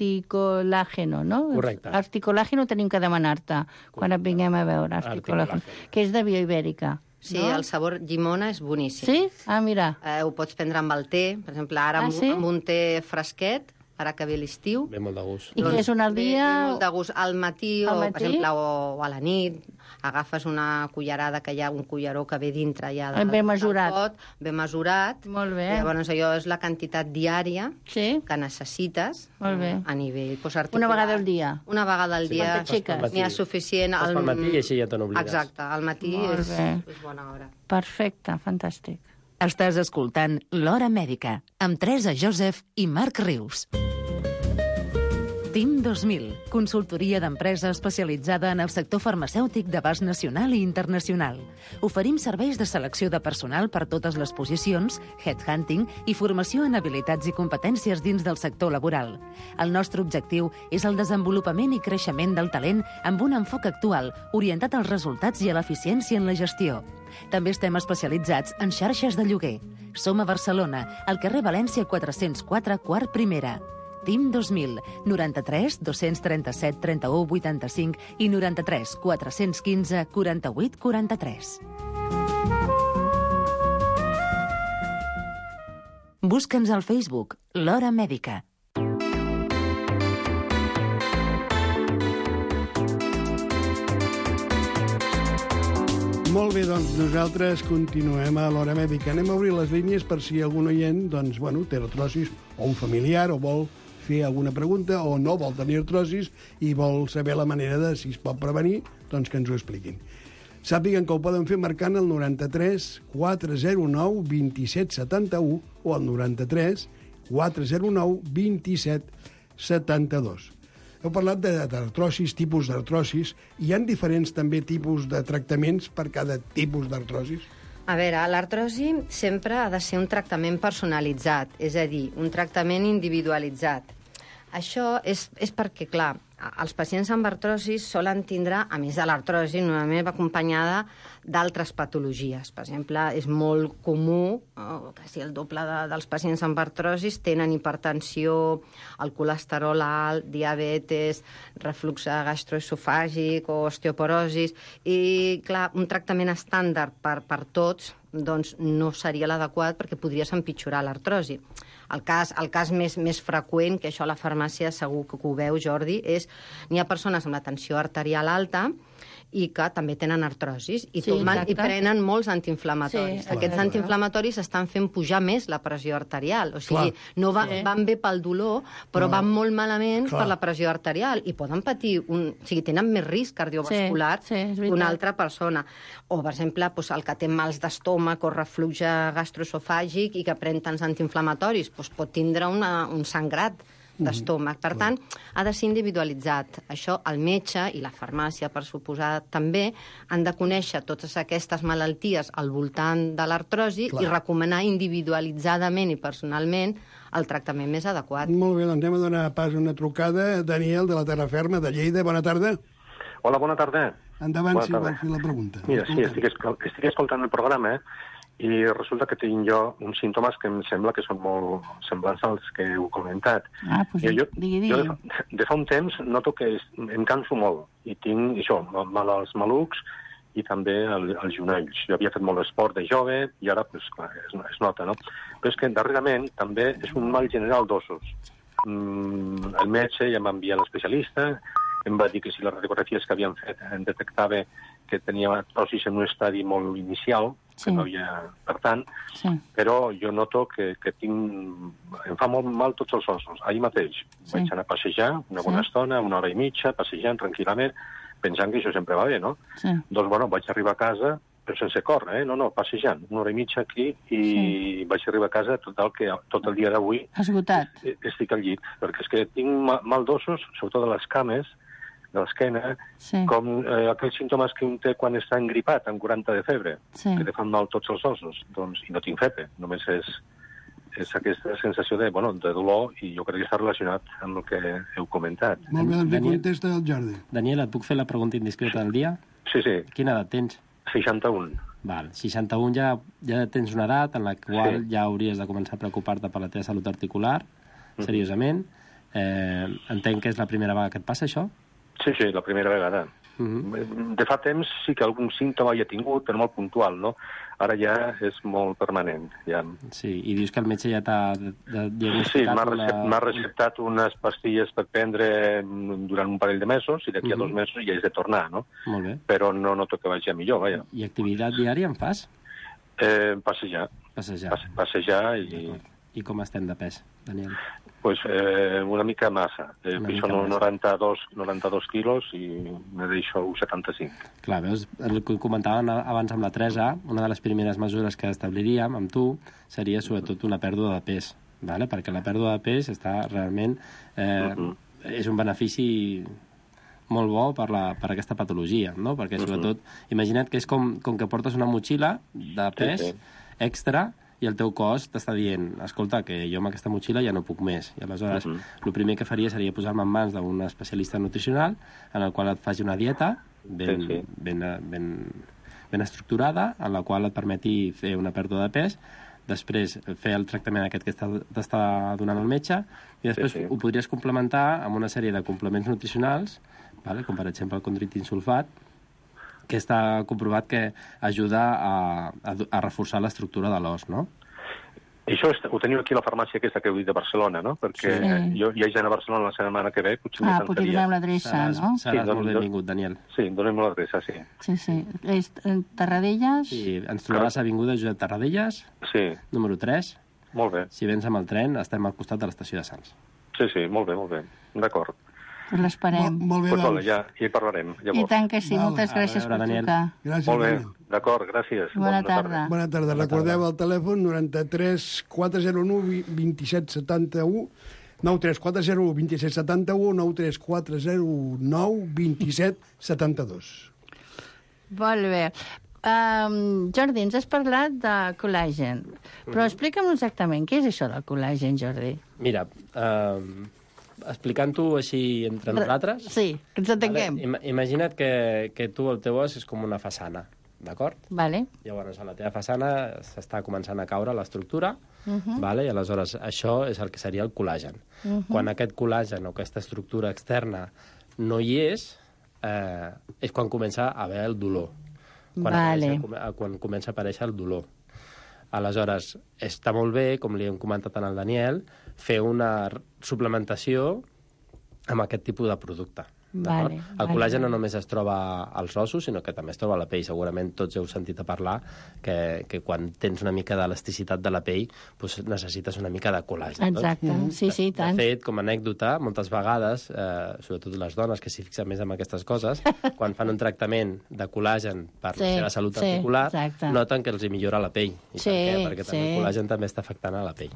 l'articolàgeno, no? Correcte. Articolàgeno tenim que demanar-te quan et vinguem a veure. Articolàgeno, que és de Bioibèrica. Sí, no? El sabor llimona és boníssim. Sí? Ah, mira. Eh, ho pots prendre amb el té, per exemple, ara Ah, amb, sí? amb un té fresquet, ara que ve l'estiu. Ve molt de gust. I què és un al Ve, dia? ve molt de gust. Al matí, Al o, matí? per exemple, o, o a la nit, agafes una cullerada, que hi ha un culleró que ve dintre ja de, Ben mesurat. del pot, ben mesurat. Molt bé. I llavors allò és la quantitat diària Sí? que necessites Molt bé. a nivell pues, articular. Una vegada al dia? Una vegada al Sí, dia. quan t'aixeques. N'hi ha suficient. Fas pel matí i així ja te n'oblides. Exacte, al matí Molt és, bé. és bona hora. Perfecte, fantàstic. Estàs escoltant L'Hora Mèdica, amb Teresa Joseph i Marc Rius. Team dos mil, consultoria d'empresa especialitzada en el sector farmacèutic d'abast nacional i internacional. Oferim serveis de selecció de personal per totes les posicions, headhunting i formació en habilitats i competències dins del sector laboral. El nostre objectiu és el desenvolupament i creixement del talent amb un enfoc actual orientat als resultats i a l'eficiència en la gestió. També estem especialitzats en xarxes de lloguer. Som a Barcelona, al carrer València quatre-cents quatre, quart primera. Team dos mil, noranta-tres dos-cents trenta-set trenta-u vuitanta-cinc i noranta-tres quatre-cents quinze quaranta-vuit quaranta-tres. Busca'ns al Facebook, L'Hora Mèdica. Molt bé, doncs nosaltres continuem a l'Hora Mèdica. Anem a obrir les línies per si algun oient doncs, bueno, té artrosis o un familiar o vol fer alguna pregunta o no vol tenir artrosis i vol saber la manera de si es pot prevenir, doncs que ens ho expliquin. Sàpiguen que ho poden fer marcant el noranta-tres quatre zero nou vint-i-set setanta-u o el noranta-tres quatre zero nou vint-i-set setanta-dos. Heu parlat d'artrosis, tipus d'artrosis. Hi ha diferents també tipus de tractaments per cada tipus d'artrosis? A veure, l'artrosi sempre ha de ser un tractament personalitzat, és a dir, un tractament individualitzat. Això és, és perquè, clar, els pacients amb artrosis solen tindre, a més de l'artrosi, normalment va acompanyada d'altres patologies. Per exemple, és molt comú, oh, quasi el doble de, dels pacients amb artrosis tenen hipertensió, el colesterol alt, diabetes, reflux gastroesofàgic o osteoporosis, i, clar, un tractament estàndard per, per tots doncs no seria l'adequat perquè podries empitjorar l'artrosi. El cas, el cas més, més freqüent, que això a la farmàcia segur que ho veu, Jordi, és n'hi ha persones amb la tensió arterial alta i que també tenen artrosis i, Sí, tomen, i exacte. prenen molts antiinflamatoris. Sí, Aquests clar. antiinflamatoris estan fent pujar més la pressió arterial. O sigui, Clar. no va, Sí. van bé pel dolor, però No. van molt malament Clar. per la pressió arterial i poden patir, un, o sigui, tenen més risc cardiovascular Sí, sí, és que veritat. una altra persona. O, per exemple, doncs, el que té mals d'estómac o reflux gastroesofàgic i que pren tants antiinflamatoris, doncs pot tindre una, un sangrat d'estómac. Per tant, ha de ser individualitzat. Això el metge i la farmàcia, per suposar, també han de conèixer totes aquestes malalties al voltant de l'artrosi Clar. i recomanar individualitzadament i personalment el tractament més adequat. Molt bé, doncs anem a donar pas a una trucada. Daniel, de la Terraferma, de Lleida. Bona tarda. Hola, bona tarda. Endavant, Bona si tarda. vol fer la pregunta. Mira, sí, estic, escol estic escoltant el programa i resulta que tinc jo uns símptomes que em sembla que són molt semblants als que heu comentat. Ah, doncs I jo, digui, digui. jo de, fa, de fa un temps noto que es, em canso molt i tinc això, mal als malucs i també el, els genolls. Jo havia fet molt esport de jove i ara pues, clar, es, es nota, no? Però és que darrerament també és un mal general d'ossos. Mm, el metge ja m'envia l'especialista, em va dir que si les radiografies que havien fet em detectava que tenia artrosis en un estadi molt inicial, Sí. que no hi ha per tant, Sí. però jo noto que, que tinc... em fa molt mal tots els ossos. Ahir mateix Sí. vaig anar a passejar una bona Sí. estona, una hora i mitja, passejant tranquil·lament, pensant que això sempre va bé, no? Sí. Doncs, bueno, vaig arribar a casa, però sense córrer, eh? No, no, passejant, una hora i mitja aquí, i sí. vaig arribar a casa tot el, que, tot el dia d'avui Esgotat. estic al llit, perquè és que tinc ma- mal d'ossos, sobretot de les cames, de l'esquena, Sí. com eh, aquells símptomes que un té quan està engripat, amb quaranta de febre, Sí. que te fan mal tots els ossos, doncs, i no tinc febre, només és és aquesta sensació de, bueno, de dolor, i jo crec que està relacionat amb el que heu comentat. Molt bé, doncs li Daniel. contesta el Jordi. Daniel, et puc fer la pregunta indiscreta del dia? Sí, sí, Quina edat tens? seixanta-un. Val, seixanta-un ja, ja tens una edat en la qual Sí. ja hauries de començar a preocupar-te per la teva salut articular, seriosament. Eh, entenc que és la primera vegada que et passa això? Sí, sí, la primera vegada. Mhm. De fa temps sí que algun símptoma hi ha tingut, però molt puntual, no? Ara ja és molt permanent. Ja. Sí, i dius que el metge ja t'ha de- de- Sí, diagnosticat m'ha una... recep, m'ha receptat unes pastilles per prendre durant un parell de mesos, i d'aquí a Mhm. dos mesos ja és de tornar, no? Molt bé. Però no noto que vagi a millor, vaja. I activitat diària en fas? Eh, passejar, Passejar. passe, passejar i... I com estem de pes, Daniel? Pues, eh, una mica massa. Eh, Una pixo mica massa. noranta-dos, noranta-dos quilos i me deixo setanta-cinc. Clar, veus, el que comentàvem abans amb la Teresa, una de les primeres mesures que establiríem amb tu seria sobretot una pèrdua de pes, vale? Perquè la pèrdua de pes està realment... Eh, Mhm. és un benefici molt bo per, la, per aquesta patologia, no? Perquè sobretot, imagina't que és com, com que portes una motxilla de pes sí. extra i el teu cos t'està dient, escolta, que jo amb aquesta motxilla ja no puc més. I aleshores, Mhm. el primer que faria seria posar-me en mans d'un especialista nutricional en el qual et faci una dieta ben, Sí, sí. ben, ben, ben estructurada, en la qual et permeti fer una pèrdua de pes, després fer el tractament aquest que està- t'està donant el metge, i després Sí, sí. ho podries complementar amb una sèrie de complements nutricionals, vale? Com per exemple el condroitin sulfat, que està comprovat que ajuda a, a, a reforçar l'estructura de l'os, no? I això és, ho teniu aquí a la farmàcia aquesta que heu dit de Barcelona, no? Perquè Sí. jo hi ha gent a Barcelona la setmana que ve, potser Ah, m'hi potser sentaria. donem l'adreça, Seràs, no? seràs Sí, molt doncs- benvingut, Daniel. Sí, donem-me l'adreça, sí. Sí, sí. És en Tarradellas? Sí, ens trobaràs a Avinguda Josep Tarradellas, Sí, número tres. molt bé. Si vens amb el tren, estem al costat de l'estació de Sants. Sí, sí, molt bé, molt bé. D'acord. Pues l'esperem. Molt, molt bé, Doncs doncs. vale, ja, ja hi parlarem, I llavors. tant que sí. Val. Moltes A gràcies veure, per Daniel. trucar. Gràcies, Molt bé, Daniel. d'acord, gràcies. Bona tarda. Bona tarda. Bona Recordeu tarda. el telèfon noranta-tres quatre zero u vint set setanta-u, nou tres quatre zero u vint set setanta-u, nou tres quatre zero nou vint set setanta-dos. Molt bé. Um, Jordi, ens has parlat de col·làgen, però explica'm exactament què és això del col·làgen, Jordi. Mira, eh, explicant-ho així entre nosaltres... Sí, que ens entenguem. Vale? Ima imagina't que, que tu, el teu os, és com una façana, d'acord? Vale. Llavors, a la teva façana s'està començant a caure l'estructura, Uh -huh. vale? I aleshores això és el que seria el col·làgen. Uh -huh. Quan aquest col·làgen o aquesta estructura externa no hi és, eh, és quan comença a haver el dolor. Quan, Vale. apareix, quan comença a aparèixer el dolor. Aleshores, està molt bé, com li hem comentat al Daniel, fer una suplementació amb aquest tipus de producte. Vale, el vale, col·làgen no vale. només es troba als ossos, sinó que també es troba a la pell. Segurament tots heu sentit a parlar que, que quan tens una mica d'elasticitat de la pell doncs necessites una mica de col·làgen. Exacte, No? sí, sí, i tant. De fet, com a anècdota, moltes vegades, eh, sobretot les dones que s'hi fixen més en aquestes coses, quan fan un tractament de col·làgen per Sí, la seva salut sí, articular, exacte. noten que els hi millora la pell. I Sí, per què? Perquè també sí. el col·làgen també està afectant a la pell.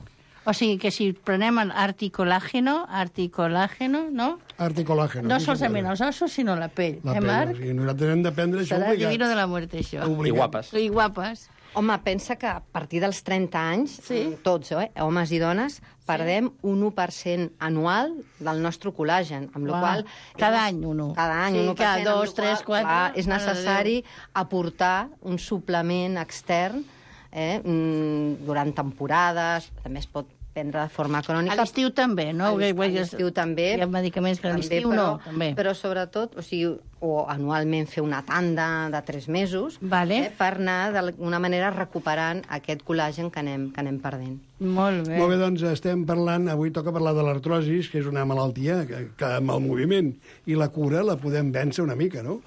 O sigui que si prenem el articolàgeno, articolàgeno, no? Articolàgeno. No sí, solament sí, els ossos, sinó la pell. La eh, pell, Marc? o sigui, nosaltres hem d'aprendre això Serà obligat. divino de la muerte, això. Obligat. I guapes. I guapes. Home, pensa que a partir dels trenta anys, Sí. tots, eh, homes i dones, perdem un u per cent anual del nostre col·làgen, amb la Uau. qual Cada any un u. Cada any Sí, un u per cada cent, amb dos, la tres, qual, quatre. clar, és Mare de necessari aportar un suplement extern eh, mm, durant temporades, també es pot prendre de forma crònica. A l'estiu també, no? A Perquè- l'estiu- a l'estiu també. Hi ha medicaments que a També, l'estiu però, no, també. Però sobretot, o sigui, o anualment fer una tanda de tres mesos Vale. eh, per anar d'alguna manera recuperant aquest col·làgen que anem, que anem perdent. Molt bé. Molt bé, doncs estem parlant, avui toca parlar de l'artrosis, que és una malaltia que, que amb el moviment i la cura la podem vèncer una mica, no?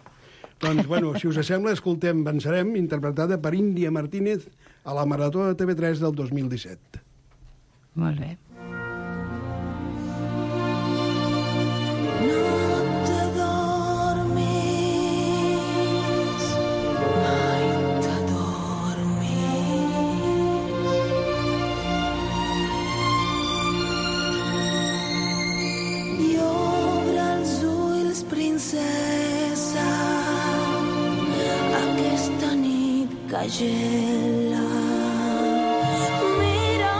Doncs, bueno, si us sembla, escoltem Vencerem, interpretada per Índia Martínez a la Marató de T V tres del dos mil disset. Molt bé. I obre els ulls, princesa, aquesta nit que gela. Mira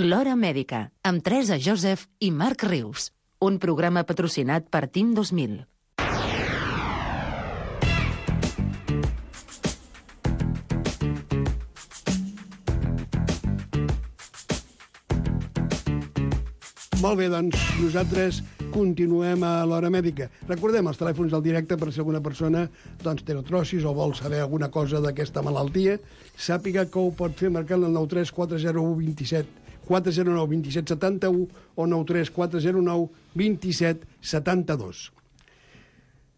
L'Hora Mèdica, amb Teresa Joseph i Marc Rius. Un programa patrocinat per Team dos mil. Molt bé, doncs nosaltres continuem a l'Hora Mèdica. Recordem els telèfons del directe per si alguna persona doncs, té artrosis o vol saber alguna cosa d'aquesta malaltia, sàpiga que ho pot fer marcant el nou tres quatre zero u dos set quatre zero nou dos set set u o nou tres quatre zero nou dos set set dos.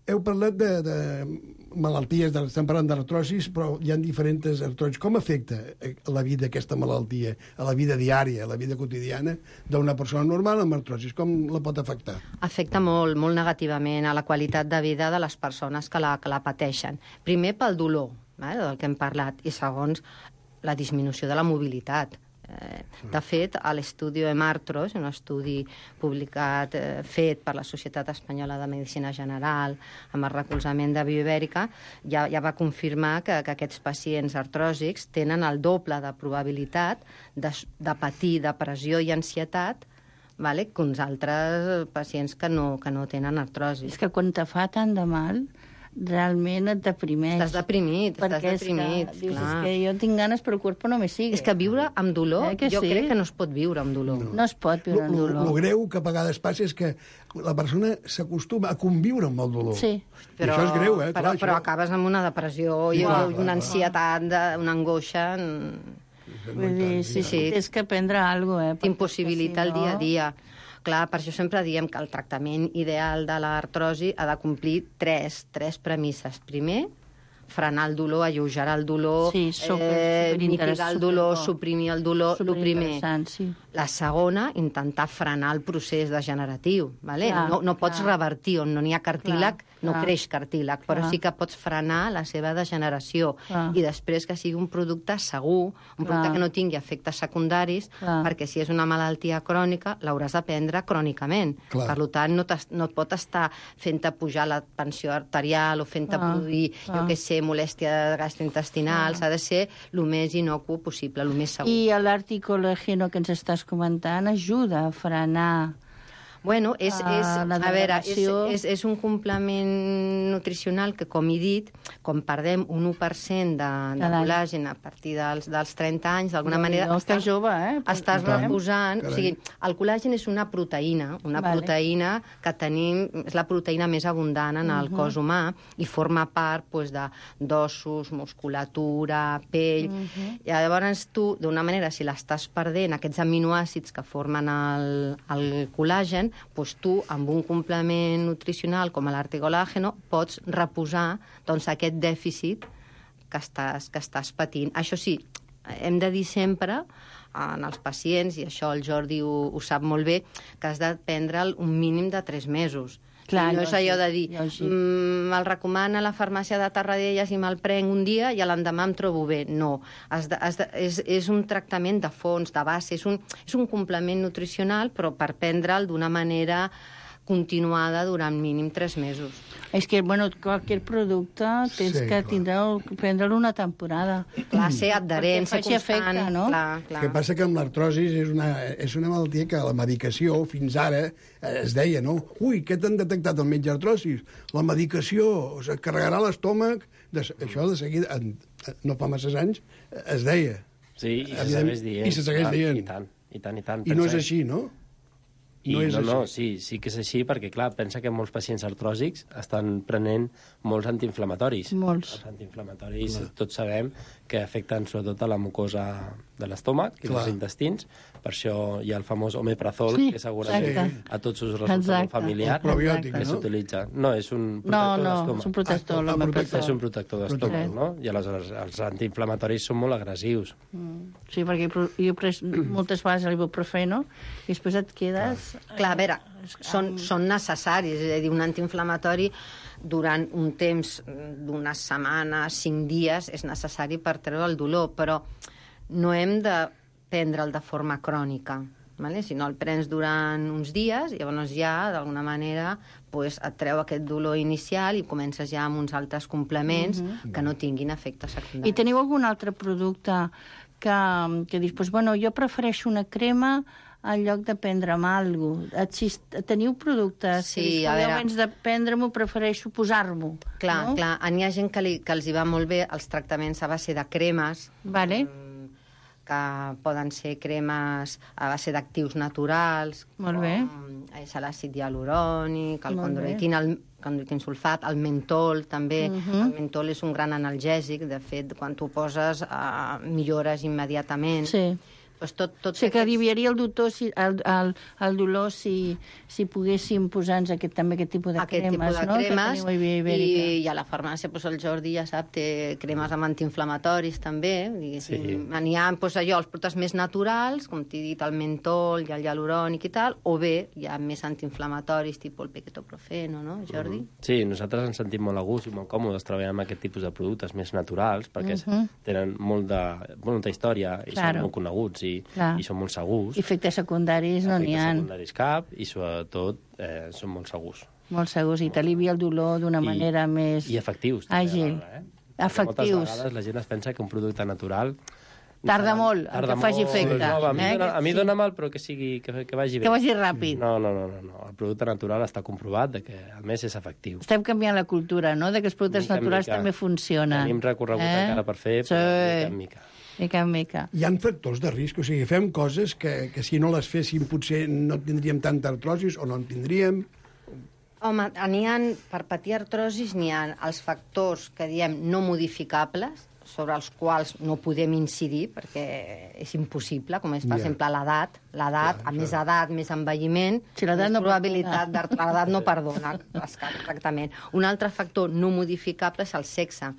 Heu parlat de, de malalties, de, estem parlant d'artrosis, però hi ha diferents artrosis. Com afecta a la vida aquesta malaltia, a la vida diària, a la vida quotidiana d'una persona normal amb artrosis? Com la pot afectar? Afecta molt, molt negativament a la qualitat de vida de les persones que la, que la pateixen. Primer pel dolor, eh, del que hem parlat, i segons la disminució de la mobilitat. De fet, a l'estudi Hemartros, un estudi publicat, eh, fet per la Societat Espanyola de Medicina General, amb el recolzament de Bioibèrica, ja, ja va confirmar que, que aquests pacients artròsics tenen el doble de probabilitat de, de patir depressió i ansietat, vale, que uns altres pacients que no, que no tenen artrosi. És que quan te fa tant de mal, realment et deprimeix. Estàs deprimit, estàs deprimit, és que, dius, clar. És que jo tinc ganes però el cuerpo no me sigue. És que viure amb dolor, eh, jo sí? crec que no es pot viure amb dolor. No, no es pot viure amb dolor. El greu que a vegades passa és que la persona s'acostuma a conviure amb el dolor. Sí. Però, I això és greu, eh? Però, Clar, però això... acabes amb una depressió i clar, una clar, ansietat, de, una angoixa... Vull dir, sí, sí, tens que prendre alguna cosa, eh? T'impossibilita si el dia a dia. Clar, per això sempre diem que el tractament ideal de l'artrosi ha de complir tres, tres premisses. Primer, frenar el dolor, alleugerar el dolor, sí, super, eh, super mitigar el dolor, suprimir el dolor, el primer. Sí. La segona, intentar frenar el procés degeneratiu. Vale? Clar, no, no pots clar. revertir, on no n'hi ha cartílag, Clar, no clar. creix cartílag, però Clar. sí que pots frenar la seva degeneració. Clar. I després que sigui un producte segur, un Clar. producte que no tingui efectes secundaris, Clar. perquè si és una malaltia crònica, l'hauràs de prendre crònicament. Clar. Per tant, no, no et pot estar fent-te pujar la tensió arterial o fent-te Clar. produir, Clar. jo què sé, molèstia gastrointestinal. S'ha de ser el més inocu possible, el més segur. I l'articolègeno que ens estàs comentant ajuda a frenar Bueno, és, és, Ah, la a veure, és, degradació. és, és un complement nutricional que, com he dit, com perdem un u per cent de, de Cada any. col·làgen a partir dels, dels trenta anys, d'alguna No, manera... no, estàs jove, eh? Estàs Tant. reposant... Carai. O sigui, el col·làgen és una proteïna, una Vale. proteïna que tenim... És la proteïna més abundant en el cos humà i forma part pues, de d'ossos, musculatura, pell... I llavors tu, d'una manera, si l'estàs perdent, aquests aminoàcids que formen el, el col·làgen, doncs tu, amb un complement nutricional com l'articolàgeno, pots reposar doncs, aquest dèficit que estàs, que estàs patint. Això sí, hem de dir sempre en els pacients, i això el Jordi ho, ho sap molt bé, que has de prendre'l un mínim de tres mesos. Clar, no és allò de dir, lògic. mm, me'l recomana la farmàcia de Tarradellas i me'l prenc un dia i l'endemà em trobo bé. No, has de, has de, és, és un tractament de fons, de base, és un, és un complement nutricional, però per prendre'l d'una manera continuada durant mínim tres mesos. És que, bueno, qualsevol producte tens Sí, que clar. tindre, prendre-lo una temporada. Clar, ser adherent, Perquè ser faci constant. efecte, no? Clar, clar. El que passa que amb l'artrosis és una, és una malaltia que la medicació, fins ara, eh, es deia, no? Ui, què t'han detectat el metge artrosis? La medicació, o sigui, carregarà l'estómac... De, això de seguida, en, no fa masses anys, es deia. Sí, i se Evident- segueix dient. i se segueix clar, dient. I tant, i tant, i tant. I no és Pensa- així, no? I No no, és no, no, així. sí, sí que és així, perquè, clar, pensa que molts pacients artròsics estan prenent molts antiinflamatoris. Molts. Els antiinflamatoris, clar. Tots sabem que afecten sobretot a la mucosa de l'estómac i Clar. dels intestins. Per això hi ha el famós omeprazol, Sí, que segurament exacte. a tots us resulta Exacte. molt familiar. El probiòtic, que no? s'utilitza. No, és un No, protector no, d'estómac. és un protector. Ah, l'home protector. protector. És un protector d'estómac, Protector. no? I aleshores els antiinflamatoris són molt agressius. Sí, perquè jo he pres moltes vegades l'ibuprofeno i després et quedes... Clar, a veure, són, són necessaris, és a dir, un antiinflamatori durant un temps d'unes setmanes, cinc dies, és necessari per treure el dolor, però no hem de prendre'l de forma crònica, vale? Si no el prens durant uns dies, llavors ja, d'alguna manera, pues, et treu aquest dolor inicial i comences ja amb uns altres complements que no tinguin efectes I secundaris. teniu algun altre producte que, que dius, pues, bueno, jo prefereixo una crema en lloc de prendre'm alguna cosa. Teniu productes Sí, que dius, a veure- abans de prendre-m'ho prefereixo posar-m'ho. Clar, no? clar, n'hi ha gent que, li, que els hi va molt bé els tractaments a base de cremes, Vale. que poden ser cremes a base d'actius naturals, Molt bé. com és l'àcid hialurònic, el Molt bé. condroitin, el condroitin sulfat, el mentol també. Mhm. El mentol és un gran analgèsic, de fet, quan tu poses eh, millores immediatament. Sí. Pues tot, tot O sigui, que aliviaria el, doctor, si, el, el, el dolor si, si poguéssim posar-nos aquest, també aquest tipus de aquest cremes, tipus de no? cremes, que teniu a Via Ibèrica. i, i a la farmàcia pues, el Jordi ja sap, té cremes amb antiinflamatoris també, diguéssim. Sí. N'hi ha pues, allò, els productes més naturals, com t'he dit, el mentol i el hialurònic i tal, o bé hi ha més antiinflamatoris, tipus el pequetoprofeno, no, Jordi? Sí, nosaltres ens sentim molt a gust i molt còmodes treballant amb aquest tipus de productes més naturals, perquè Mhm. tenen molt de, molta història i Claro. són molt coneguts i, Clar. i són molt segurs. Efectes secundaris no n'hi Efectes ha. secundaris cap i, sobretot, eh, són molt segurs. Molt segurs, i t'alivia el dolor d'una I- manera més I efectius. també, àgil. alhora, eh? Perquè Efectius. Moltes vegades la gent es pensa que un producte natural... Tarda molt en tarda que faci molt, efecte, No, a mi, eh? dona, a mi Sí. dona mal, però que, sigui, que, que vagi bé. Que vagi ràpid. No, no, no, no, no. El producte natural està comprovat de que, a més, és efectiu. Estem canviant la cultura, no?, de que els productes Mica en naturals mica. també funcionen. Tenim recorregut Eh? encara per fer, Sí. però mica en mica. Mica en mica. Hi ha factors de risc, o sigui, fem coses que, que si no les féssim potser no tindríem tanta artrosis o no en tindríem. Home, n'hi ha, per patir artrosis n'hi ha els factors que diem no modificables, sobre els quals no podem incidir, perquè és impossible, com és, per Ja. exemple, l'edat. L'edat, a més edat, més envelliment, Si l'edat més no probabilitat d'art- l'edat no perdona, exactament. Un altre factor no modificable és el sexe.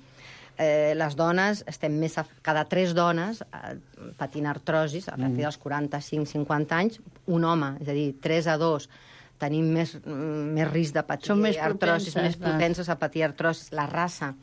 Eh, les dones, estem més a, cada tres dones eh, patint artrosis, a partir dels quaranta-cinc cinquanta anys, un home, és a dir, tres a dos, tenim més, mm, més risc de patir Són més artrosis, propenses, més propenses a patir artrosis. La raça,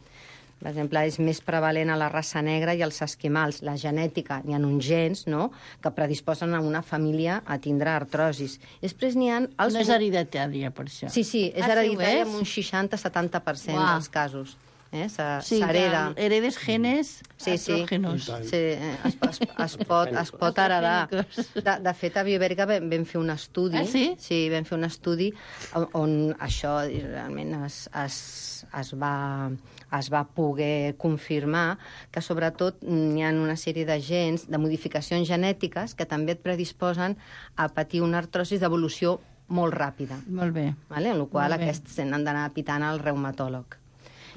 per exemple, és més prevalent a la raça negra i als esquimals. La genètica, n'hi ha uns gens, no?, que predisposen a una família a tindre artrosis. Després n'hi ha... Els... No és hereditària, per això. Sí, sí, és Ah, sí, ho hereditària és? en un seixanta setanta per cent Uah. dels casos. Eh? Se- Sí, S'hereda. que heredes genes Sí, sí. estrógenos. Sí, eh, es, es, es, pot, es pot heredar. De, de fet, a Bioibèrica vam, vam fer un estudi. Ah, sí? Sí, vam fer un estudi on, on això realment es, es, es, va, es va poder confirmar que, sobretot, hi ha una sèrie de gens, de modificacions genètiques que també et predisposen a patir una artrosis d'evolució molt ràpida. Molt bé. Vale? En la qual Molt bé. aquests han d'anar pitant al reumatòleg.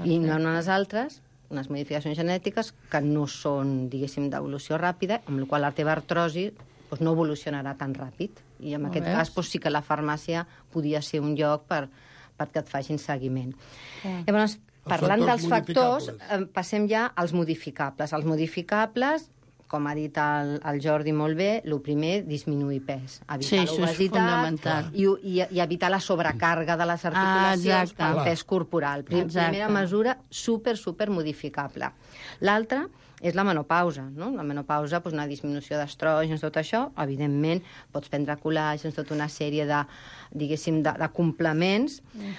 I n'hi ha unes altres, unes modificacions genètiques, que no són, diguéssim, d'evolució ràpida, amb la qual la teva artrosi doncs, no evolucionarà tan ràpid. I en Molt aquest bé. cas doncs, sí que la farmàcia podia ser un lloc per, perquè et facin seguiment. Ah. Llavors, parlant factors dels factors, modificables. eh, passem ja als modificables. Els modificables, com ha dit el, el Jordi molt bé, el primer, disminuir pes. Evitar Sí, això és l'obesitat fonamental. i, i, i evitar la sobrecàrrega de les Ah, articulacions exacte. pel Clar. pes corporal. Prim, Exacte. primera mesura, super, super modificable. L'altra és la menopausa, no? La menopausa, doncs, una disminució d'estrògens, tot això, evidentment, pots prendre col·làgens, tota una sèrie de, diguéssim, de, de complements.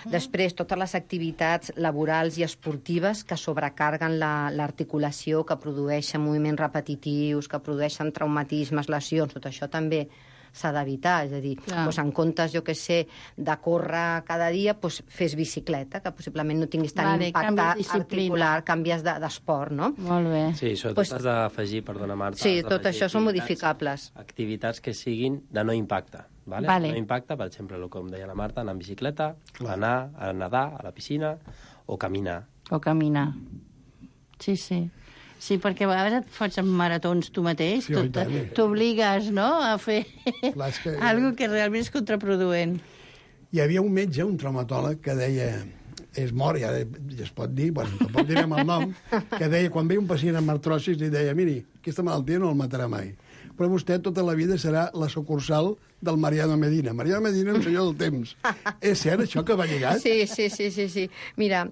Després, totes les activitats laborals i esportives que sobrecarguen la- l'articulació, que produeixen moviments repetitius, que produeixen traumatismes, lesions, tot això també s'ha d'evitar, és a dir, Clar. doncs, en comptes, jo que sé, de córrer cada dia, doncs fes bicicleta, que possiblement no tinguis tant Vale, impacte canvies disciplina. articular, canvies de- d'esport, no? Molt bé. Sí, sobretot Pues- pues, has d'afegir, perdona Marta... Sí, has tot d'afegir això són activitats- modificables. Activitats que siguin de no impacte. Vale? Vale. No impacte, per exemple, el com deia la Marta, anar en bicicleta, Clar. anar a nedar a la piscina o caminar. O caminar. Sí, sí. Sí, perquè a vegades et fots en maratons tu mateix, Sí, oi tu- tant. t'obligues, no?, a fer Clar, és que- algo que realment és contraproduent. Hi havia un metge, un traumatòleg, que deia, és mort, ja, ja es pot dir, bueno, tampoc direm el nom, que deia, quan veia un pacient amb artrosis, li deia, miri, aquesta malaltia no el matarà mai, però vostè tota la vida serà la sucursal del Mariano Medina. Mariano Medina, un senyor del temps. És cert això que va lligat? Sí, sí, sí, sí, sí. Mira,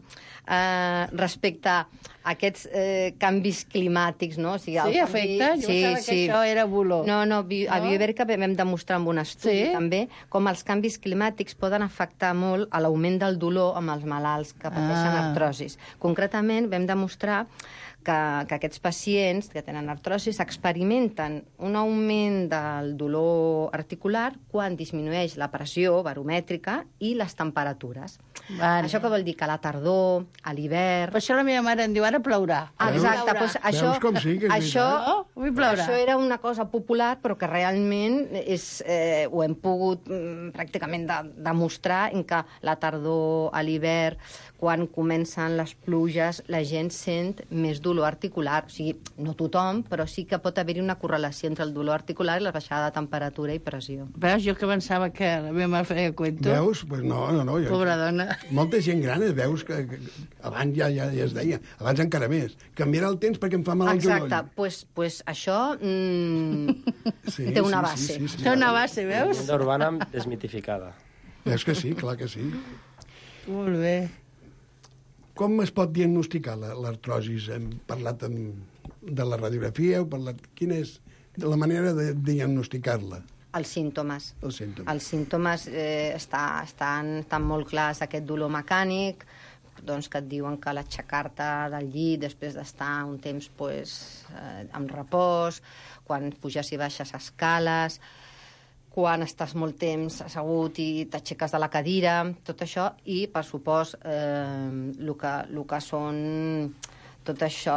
eh, respecte a aquests eh, canvis climàtics, no? O sigui, el Sí, canvi- afecta? Jo pensava que això era boló. No, no, bi- a No? Bioibèrica vam demostrar amb un estudi Sí? també com els canvis climàtics poden afectar molt a l'augment del dolor amb els malalts que pateixen Ah. artrosis. Concretament vam demostrar que que, que aquests pacients que tenen artrosis experimenten un augment del dolor articular quan disminueix la pressió baromètrica i les temperatures. Vale. Això què vol dir? Que a la tardor, a l'hivern... Per això la meva mare em diu, ara plourà. Ah, exacte, doncs això, Veus com sí, que és això, Oh, avui plourà. això era una cosa popular, però que realment és, eh, ho hem pogut mm, pràcticament de, demostrar en què la tardor, a l'hivern, quan comencen les pluges, la gent sent més dolor articular. O sigui, no tothom, però sí que pot haver-hi una correlació entre el dolor articular i la baixada de temperatura i pressió. Veus, jo que pensava que la meva mare feia cuento. Veus? Pues no, no, no. Jo, Pobra dona. Molta gent gran, eh, veus, que, que abans ja, ja, ja es deia, abans encara més. Canviarà el temps perquè em fa mal el genoll. Exacte, pues, pues això mm, Sí, té una sí, base. sí, sí, sí. Té una base, veus? La urbana desmitificada. Veus que sí, clar que sí. Molt bé. Com es pot diagnosticar la- l'artrosis? Hem parlat amb, de la radiografia, heu parlat... Quina és la manera de diagnosticar-la, Els símptomes. els símptomes? Els símptomes eh, està, estan, estan molt clars, aquest dolor mecànic, doncs que et diuen que l'aixecar-te del llit després d'estar un temps pues, eh, amb repòs, quan puges i baixes escales, quan estàs molt temps assegut i t'aixeques de la cadira, tot això, i, per supost, eh, el que, el que són tot això,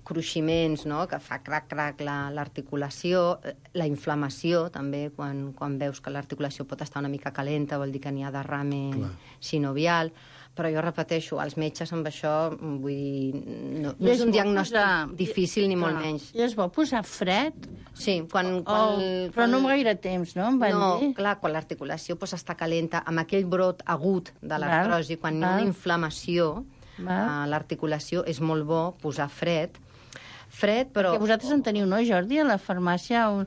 cruiximents, no?, que fa crac-crac l'articulació, la inflamació, també, quan, quan veus que l'articulació pot estar una mica calenta, vol dir que n'hi ha derrame Clar. sinovial, però jo repeteixo, els metges amb això, vull dir, no, no I és es un vol diagnòstic posar- difícil ni molt Clar. menys. I es vol posar fred? Sí, quan... Oh, quan, però quan... no amb gaire temps, no? Em van No, dir. clar, quan l'articulació pues, està calenta, amb aquell brot agut de l'artrosi, quan hi ha val. una inflamació a l'articulació, és molt bo posar fred. Fred, però... Perquè vosaltres en teniu, no, Jordi, a la farmàcia un,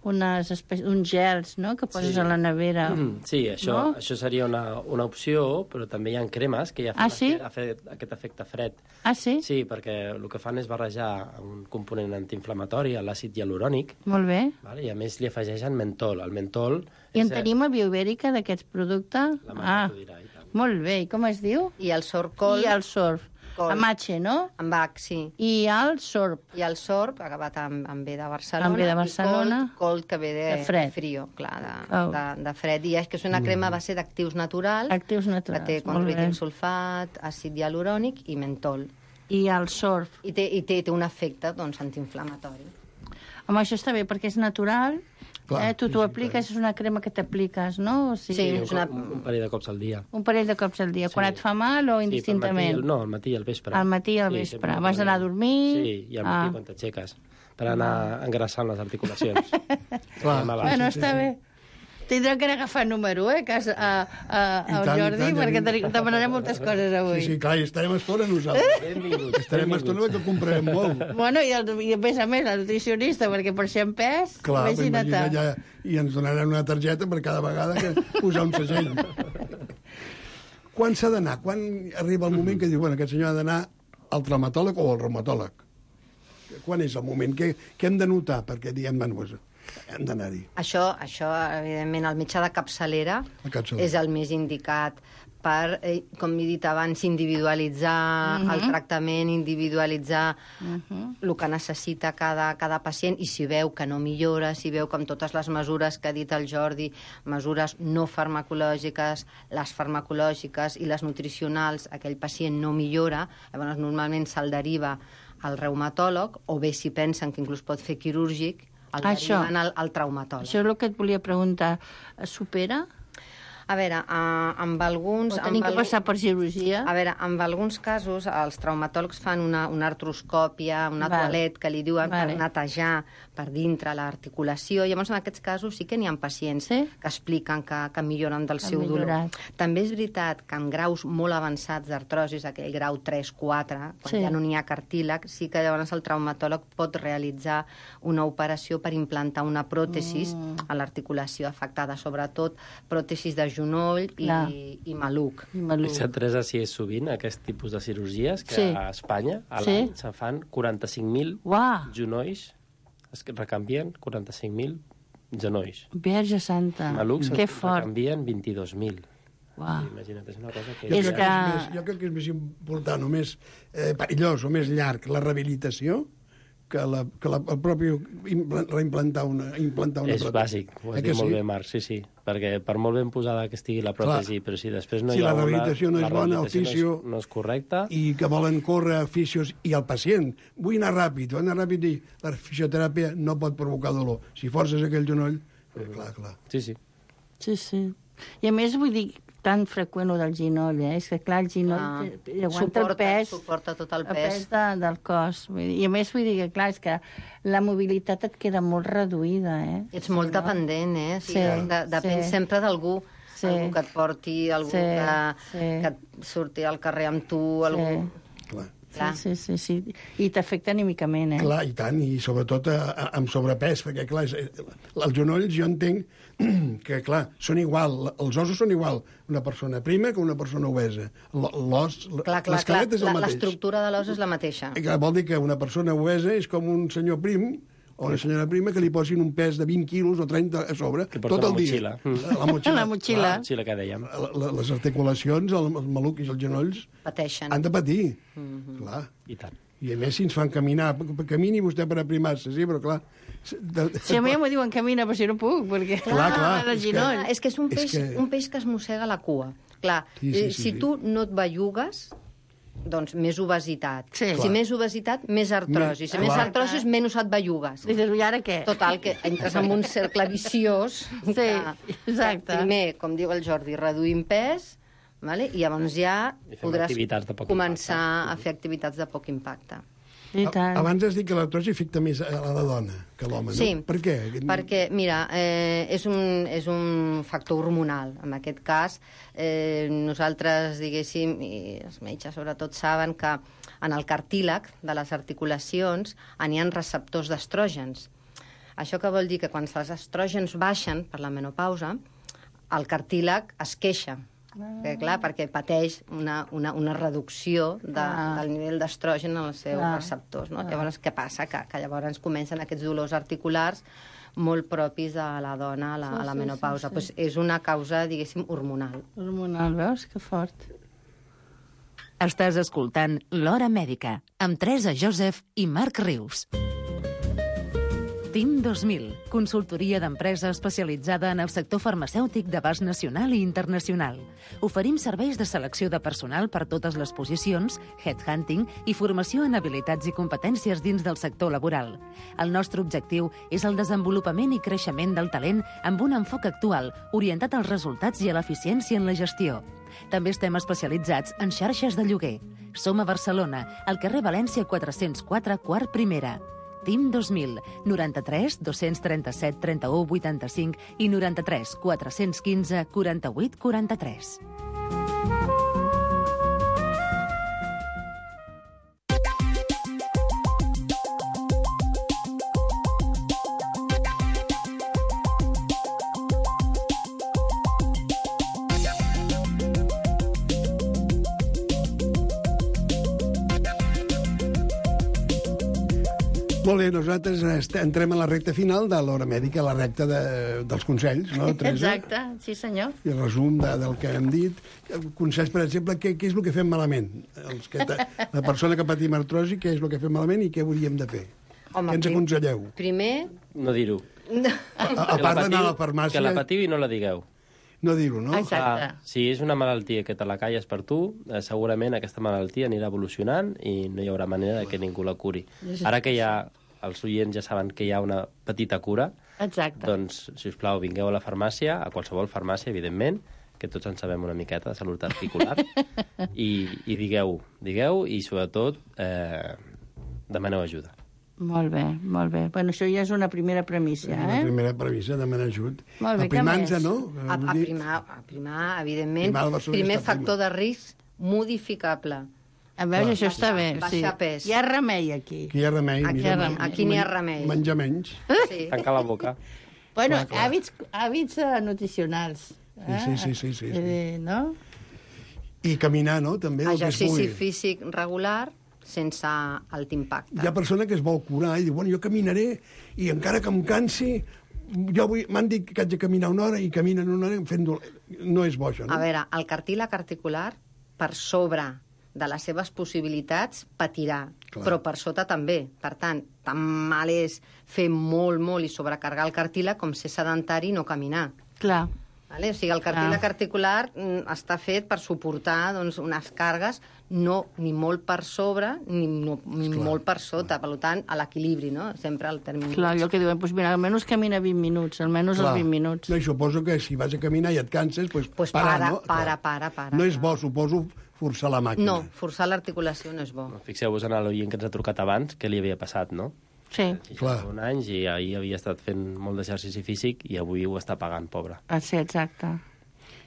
unes espècies, uns gels, no?, que poses Sí. a la nevera. Mm, sí, això, No? això seria una, una opció, però també hi ha cremes que ja fan Ah, sí? aquest, aquest efecte fred. Ah, sí? Sí, perquè el que fan és barrejar un component antiinflamatori, l'àcid hialurònic, Molt bé. vale? I a més li afegeixen mentol. El mentol... I en és, eh, tenim a Bioibèrica d'aquests productes? La Marta Ah, t'ho dirà, i tant. molt bé. I com es diu? I el sorcol... I el sorb. Col. Amache, no? Amb H, sí. I el sorb. I el sorb, acabat amb, amb B de Barcelona. Amb B de Barcelona. I cold, cold que ve de, De fred. frio, clar, de, Oh. de, de fred. I és que és una crema a base d'actius naturals, Actius que naturals. té molt bé. controitin sulfat, àcid hialurònic i mentol. I el sorb. I té, i té, té un efecte doncs, antiinflamatori. Home, això està bé, perquè és natural. Clar, eh? Tu sí, t'ho sí, apliques, és una crema que t'apliques, no? O sigui, Sí, un, és una- un, un parell de cops al dia. un parell de cops al dia. Sí. Quan et fa mal o Sí, indistintament? pel matí, no, al matí i al vespre. Al matí i al Sí, vespre. sempre Abans d'anar a dormir? Sí, i al matí Ah. quan t'aixeques, per anar engraçant les articulacions. Clar. Anem abans. Bueno, sí, està sí. bé. Tindrem que anar a agafar número, eh, que has, a, a, I al tant, i Jordi, tant, ja perquè dic. te- demanarem moltes coses avui. Sí, sí, clar, i estarem estona nosaltres. Benvinguts. Estarem estona perquè comprarem molt. Bueno, i, el, i a més a més, la nutricionista, perquè per ser en pes, Clar, imagina't. imagina't, ja, i ens donaran una targeta per cada vegada que posar un segell. Quan s'ha d'anar? Quan arriba el moment que diu, bueno, aquest senyor ha d'anar al traumatòleg o al reumatòleg? Quan és el moment? Què, què hem de notar perquè diem, bueno, pues, hem d'anar-hi? Això, això, evidentment, el metge de capçalera La capçalera. és el més indicat per, eh, com he dit abans, individualitzar el tractament, individualitzar el que necessita cada, cada pacient, i si veu que no millora, si veu que amb totes les mesures que ha dit el Jordi, mesures no farmacològiques, les farmacològiques i les nutricionals, aquell pacient no millora, llavors normalment se'l deriva al reumatòleg, o bé si pensen que inclús pot fer quirúrgic, el Això. deriven al, al traumatòleg. Això és el que et volia preguntar. Supera? A veure, uh, amb alguns... O tenim amb que algun- passar per cirurgia? A veure, en alguns casos els traumatòlegs fan una, una artroscòpia, una Val. toalet que li diuen Vale. per netejar per dintre l'articulació. Llavors, en aquests casos sí que n'hi ha pacients Sí? que expliquen que, que milloren del Han seu dolor. millorat. També és veritat que en graus molt avançats d'artrosis, aquell grau tres quatre, quan Sí. ja no n'hi ha cartílag, sí que llavors el traumatòleg pot realitzar una operació per implantar una pròtesis Mm. a l'articulació afectada, sobretot pròtesis de genoll i, Clar. i maluc. I maluc. S'ha tres a si és sovint aquest tipus de cirurgies que Sí. a Espanya a Sí. l'any se fan quaranta-cinc mil Uau, genolls, es recanvien quaranta-cinc mil genolls. Verge Santa. Malucs Que es fort. recanvien vint-i-dos mil Uau. Sí, imagina't, és una cosa que... Jo, És crec que... que- És més, jo crec que és més important o més eh, perillós o més llarg la rehabilitació que, la, que la, el propi impla- reimplantar una, implantar una És pròtesi. bàsic, ho Eh has que dit molt sí? bé, Marc, sí, sí. Perquè per molt ben posada que estigui la pròtesi, Clar. però si després no Si hi ha la rehabilitació una... no és la bona, el rehabilitació fisio- No és, no és correcta... I que volen córrer fisios i el pacient. Vull anar ràpid, vull anar ràpid i la fisioteràpia no pot provocar dolor. Si forces aquell genoll, eh, clar, clar. Sí, sí. Sí, sí. I a més, vull dir, tan freqüent ho del ginoll, eh? És que, clar, el ginoll Ah, ah, aguanta suporta- el pes, suporta tot el el pes. pes de, del cos. Vull dir, I a més, vull dir que, clar, és que la mobilitat et queda molt reduïda, eh? Ets molt dependent, eh? O sigui, Sí, de, depèn sí. sempre d'algú, Sí. algú que et porti, algú Sí, que, sí. que et surti al carrer amb tu, algú... Clar. Clar. Sí, sí, sí, sí. I t'afecta anímicament, eh? Clar, i tant, i sobretot a, a, amb sobrepès, perquè, clar, és, els genolls jo entenc que, clar, són igual, els ossos són igual una persona prima que una persona obesa. L'os, Clar, clar, clar. l'esquelet és el La- mateix. L'estructura de l'os és la mateixa. I, clar, vol dir que una persona obesa és com un senyor prim o una senyora prima que li posin un pes de vint quilos o trenta a sobre Que porta tot el la motxilla. dia. La motxilla. La motxilla. Clar, Sí, la que dèiem. la- la- les articulacions, el, els malucs i els genolls Pateixen. han de patir. Mhm. Clar. I tant. I a més, si ens fan caminar, camini vostè per aprimar-se, sí, però clar... De, Si a mi m'ho diuen camina, però si no puc, perquè... Clar, clar, el és que- ginoll. És que és un És peix, que- un peix que es mossega la cua. Clar, Sí, sí, eh, sí, si sí. tu no et bellugues, doncs més obesitat. Sí. Si Clar. més obesitat, més artrosi. Si més Clar. artrosi, menys et bellugues. Dices, i ara què? Total, que entres en un cercle viciós. Sí, que, exacte. Que primer, com diu el Jordi, reduïm pes, vale? I llavors ja I fem podràs activitats de poc començar impacte. a fer activitats de poc impacte. I tant. Abans has dit que l'artrosi afecta més a la dona que a l'home, Sí. no? Per què? Perquè, mira, eh, és, un, és un factor hormonal. En aquest cas, eh, nosaltres, diguéssim, i els metges sobretot saben que en el cartílag de les articulacions n'hi ha receptors d'estrògens. Això que vol dir que quan els estrògens baixen per la menopausa, el cartílag es queixa. Eh, clar, perquè pateix una, una, una reducció de, Ah. del nivell d'estrogen en els seus Clar. receptors. No? Ah. Llavors, què passa? Que, que llavors comencen aquests dolors articulars molt propis a la dona a la, Sí, a la sí, menopausa. sí, Pues sí. és una causa, diguéssim, hormonal. Hormonal, veus? Que fort. Estàs escoltant L'Hora Mèdica, amb Teresa Joseph i Marc Rius. Team dos mil, consultoria d'empresa especialitzada en el sector farmacèutic d'abast nacional i internacional. Oferim serveis de selecció de personal per totes les posicions, headhunting i formació en habilitats i competències dins del sector laboral. El nostre objectiu és el desenvolupament i creixement del talent amb un enfoc actual, orientat als resultats i a l'eficiència en la gestió. També estem especialitzats en xarxes de lloguer. Som a Barcelona, al carrer València quatre-cents quatre, quart primera. Team dos mil, noranta-tres dos-cents trenta-set trenta-u vuitanta-cinc i noranta-tres quatre-cents quinze quaranta-vuit quaranta-tres. Molt bé, nosaltres est- entrem a la recta final de l'hora mèdica, la recta de, dels consells, no, Teresa? Exacte, sí senyor. I el resum de, del que hem dit. Consells, per exemple, què, què és el que fem malament? Els que ta, la persona que patim artrosi, què és el que fem malament i què hauríem de fer? Home, què ens prim- aconselleu? Primer... No dir-ho. A, a part d'anar a la farmàcia, Que la patiu i no la digueu. no dir-ho, no? Exacte. Ah, si és una malaltia que te la calles per tu, eh, segurament aquesta malaltia anirà evolucionant i no hi haurà manera de que ningú la curi. Ara que ja els oients ja saben que hi ha una petita cura, Exacte. doncs, si us plau, vingueu a la farmàcia, a qualsevol farmàcia, evidentment, que tots en sabem una miqueta de salut articular, i, i digueu, digueu i, sobretot, eh, demaneu ajuda. Molt bé, molt bé. Bueno, això ja és una primera premissa, La eh? primera previsa, demanar ajut. Molt bé, què Aprimant-se, més? no? A, a, Vull dir, primar, a primar, evidentment, Primar el Barcelona primer està factor de risc modificable. A veure, Clar. això està bé. Baixar Sí. pes. Hi ha remei, aquí. Aquí hi ha remei. Aquí mira, hi ha men- remei. Aquí n'hi ha men- remei. Menjar menys. Sí. Tanca la boca. Bueno, Clar, clar. hàbits, hàbits eh, nutricionals. Eh? Sí, sí, sí, sí, sí. Eh, no? I caminar, no? També, el que es Exercici pugui. físic regular sense alt impacte. Hi ha persona que es vol curar i diu, bueno, jo caminaré i encara que em cansi jo vull, m'han dit que haig de caminar una hora i caminen una hora fent dolent. No és bo, això, no? A veure, el cartílag articular, per sobre de les seves possibilitats, patirà, Clar. però per sota també. Per tant, tan mal és fer molt, molt i sobrecarregar el cartílag com ser sedentari i no caminar. Clar. Vale? O sigui, el cartílag Ah. articular mm, està fet per suportar doncs, unes càrregues no ni molt per sobre ni, no, ni molt per sota. Per tant, a l'equilibri, no? Sempre al termini. Clar, allò que diuen, doncs mira, almenys camina vint minuts, almenys Clar. els vint minuts. No, i suposo que si vas a caminar i et canses, doncs Pues para, para, no? para, Clar. para, para. No és bo, suposo, forçar la màquina. No, forçar l'articulació no és bo. Fixeu-vos en l'oient que ens ha trucat abans, què li havia passat, no? Sí. Clar. Un anys i ahir havia estat fent molt d'exercici físic i avui ho està pagant, pobre. Ah, sí, exacte.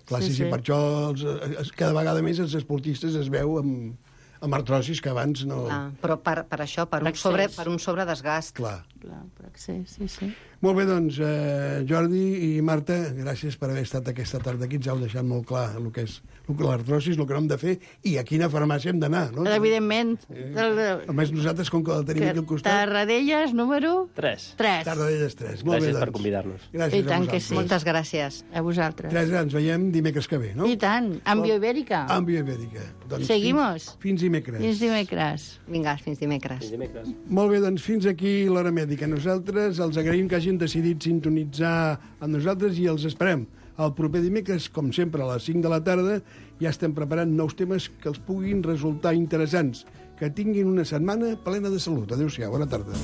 Clar, sí, Sí, sí, sí. per això els, es, cada vegada més els esportistes es veu amb, amb artrosis que abans no... Clar, però per, per això, per un, L'accés. sobre, per un sobredesgast. Clar. Clar, per accés, sí, sí. Molt bé, doncs, eh, Jordi i Marta, gràcies per haver estat aquesta tarda aquí. Ens heu deixat molt clar el que és el que l'artrosis, el que no hem de fer i a quina farmàcia hem d'anar, no? Evidentment. El, A més, nosaltres, com que la tenim aquí al costat... Tarradellas, número... Tres. Tres. Tarradellas tres. Molt Gràcies bé, per doncs. convidar-nos. Gràcies I tant a que vosaltres. sí. Moltes gràcies. A vosaltres. Teresa, ens veiem dimecres que ve, no? I tant, amb Bioibèrica. Amb Bioibèrica. Doncs Seguimos. Fins, fins dimecres. Fins dimecres. Vinga, fins dimecres. Fins dimecres. Molt bé, doncs fins aquí l'Hora Mèdica. Nosaltres els agraïm que hagin decidit sintonitzar amb nosaltres i els esperem. El proper dimecres, com sempre, a les cinc de la tarda, ja estem preparant nous temes que els puguin resultar interessants. Que tinguin una setmana plena de salut. Adéu-siau, bona tarda.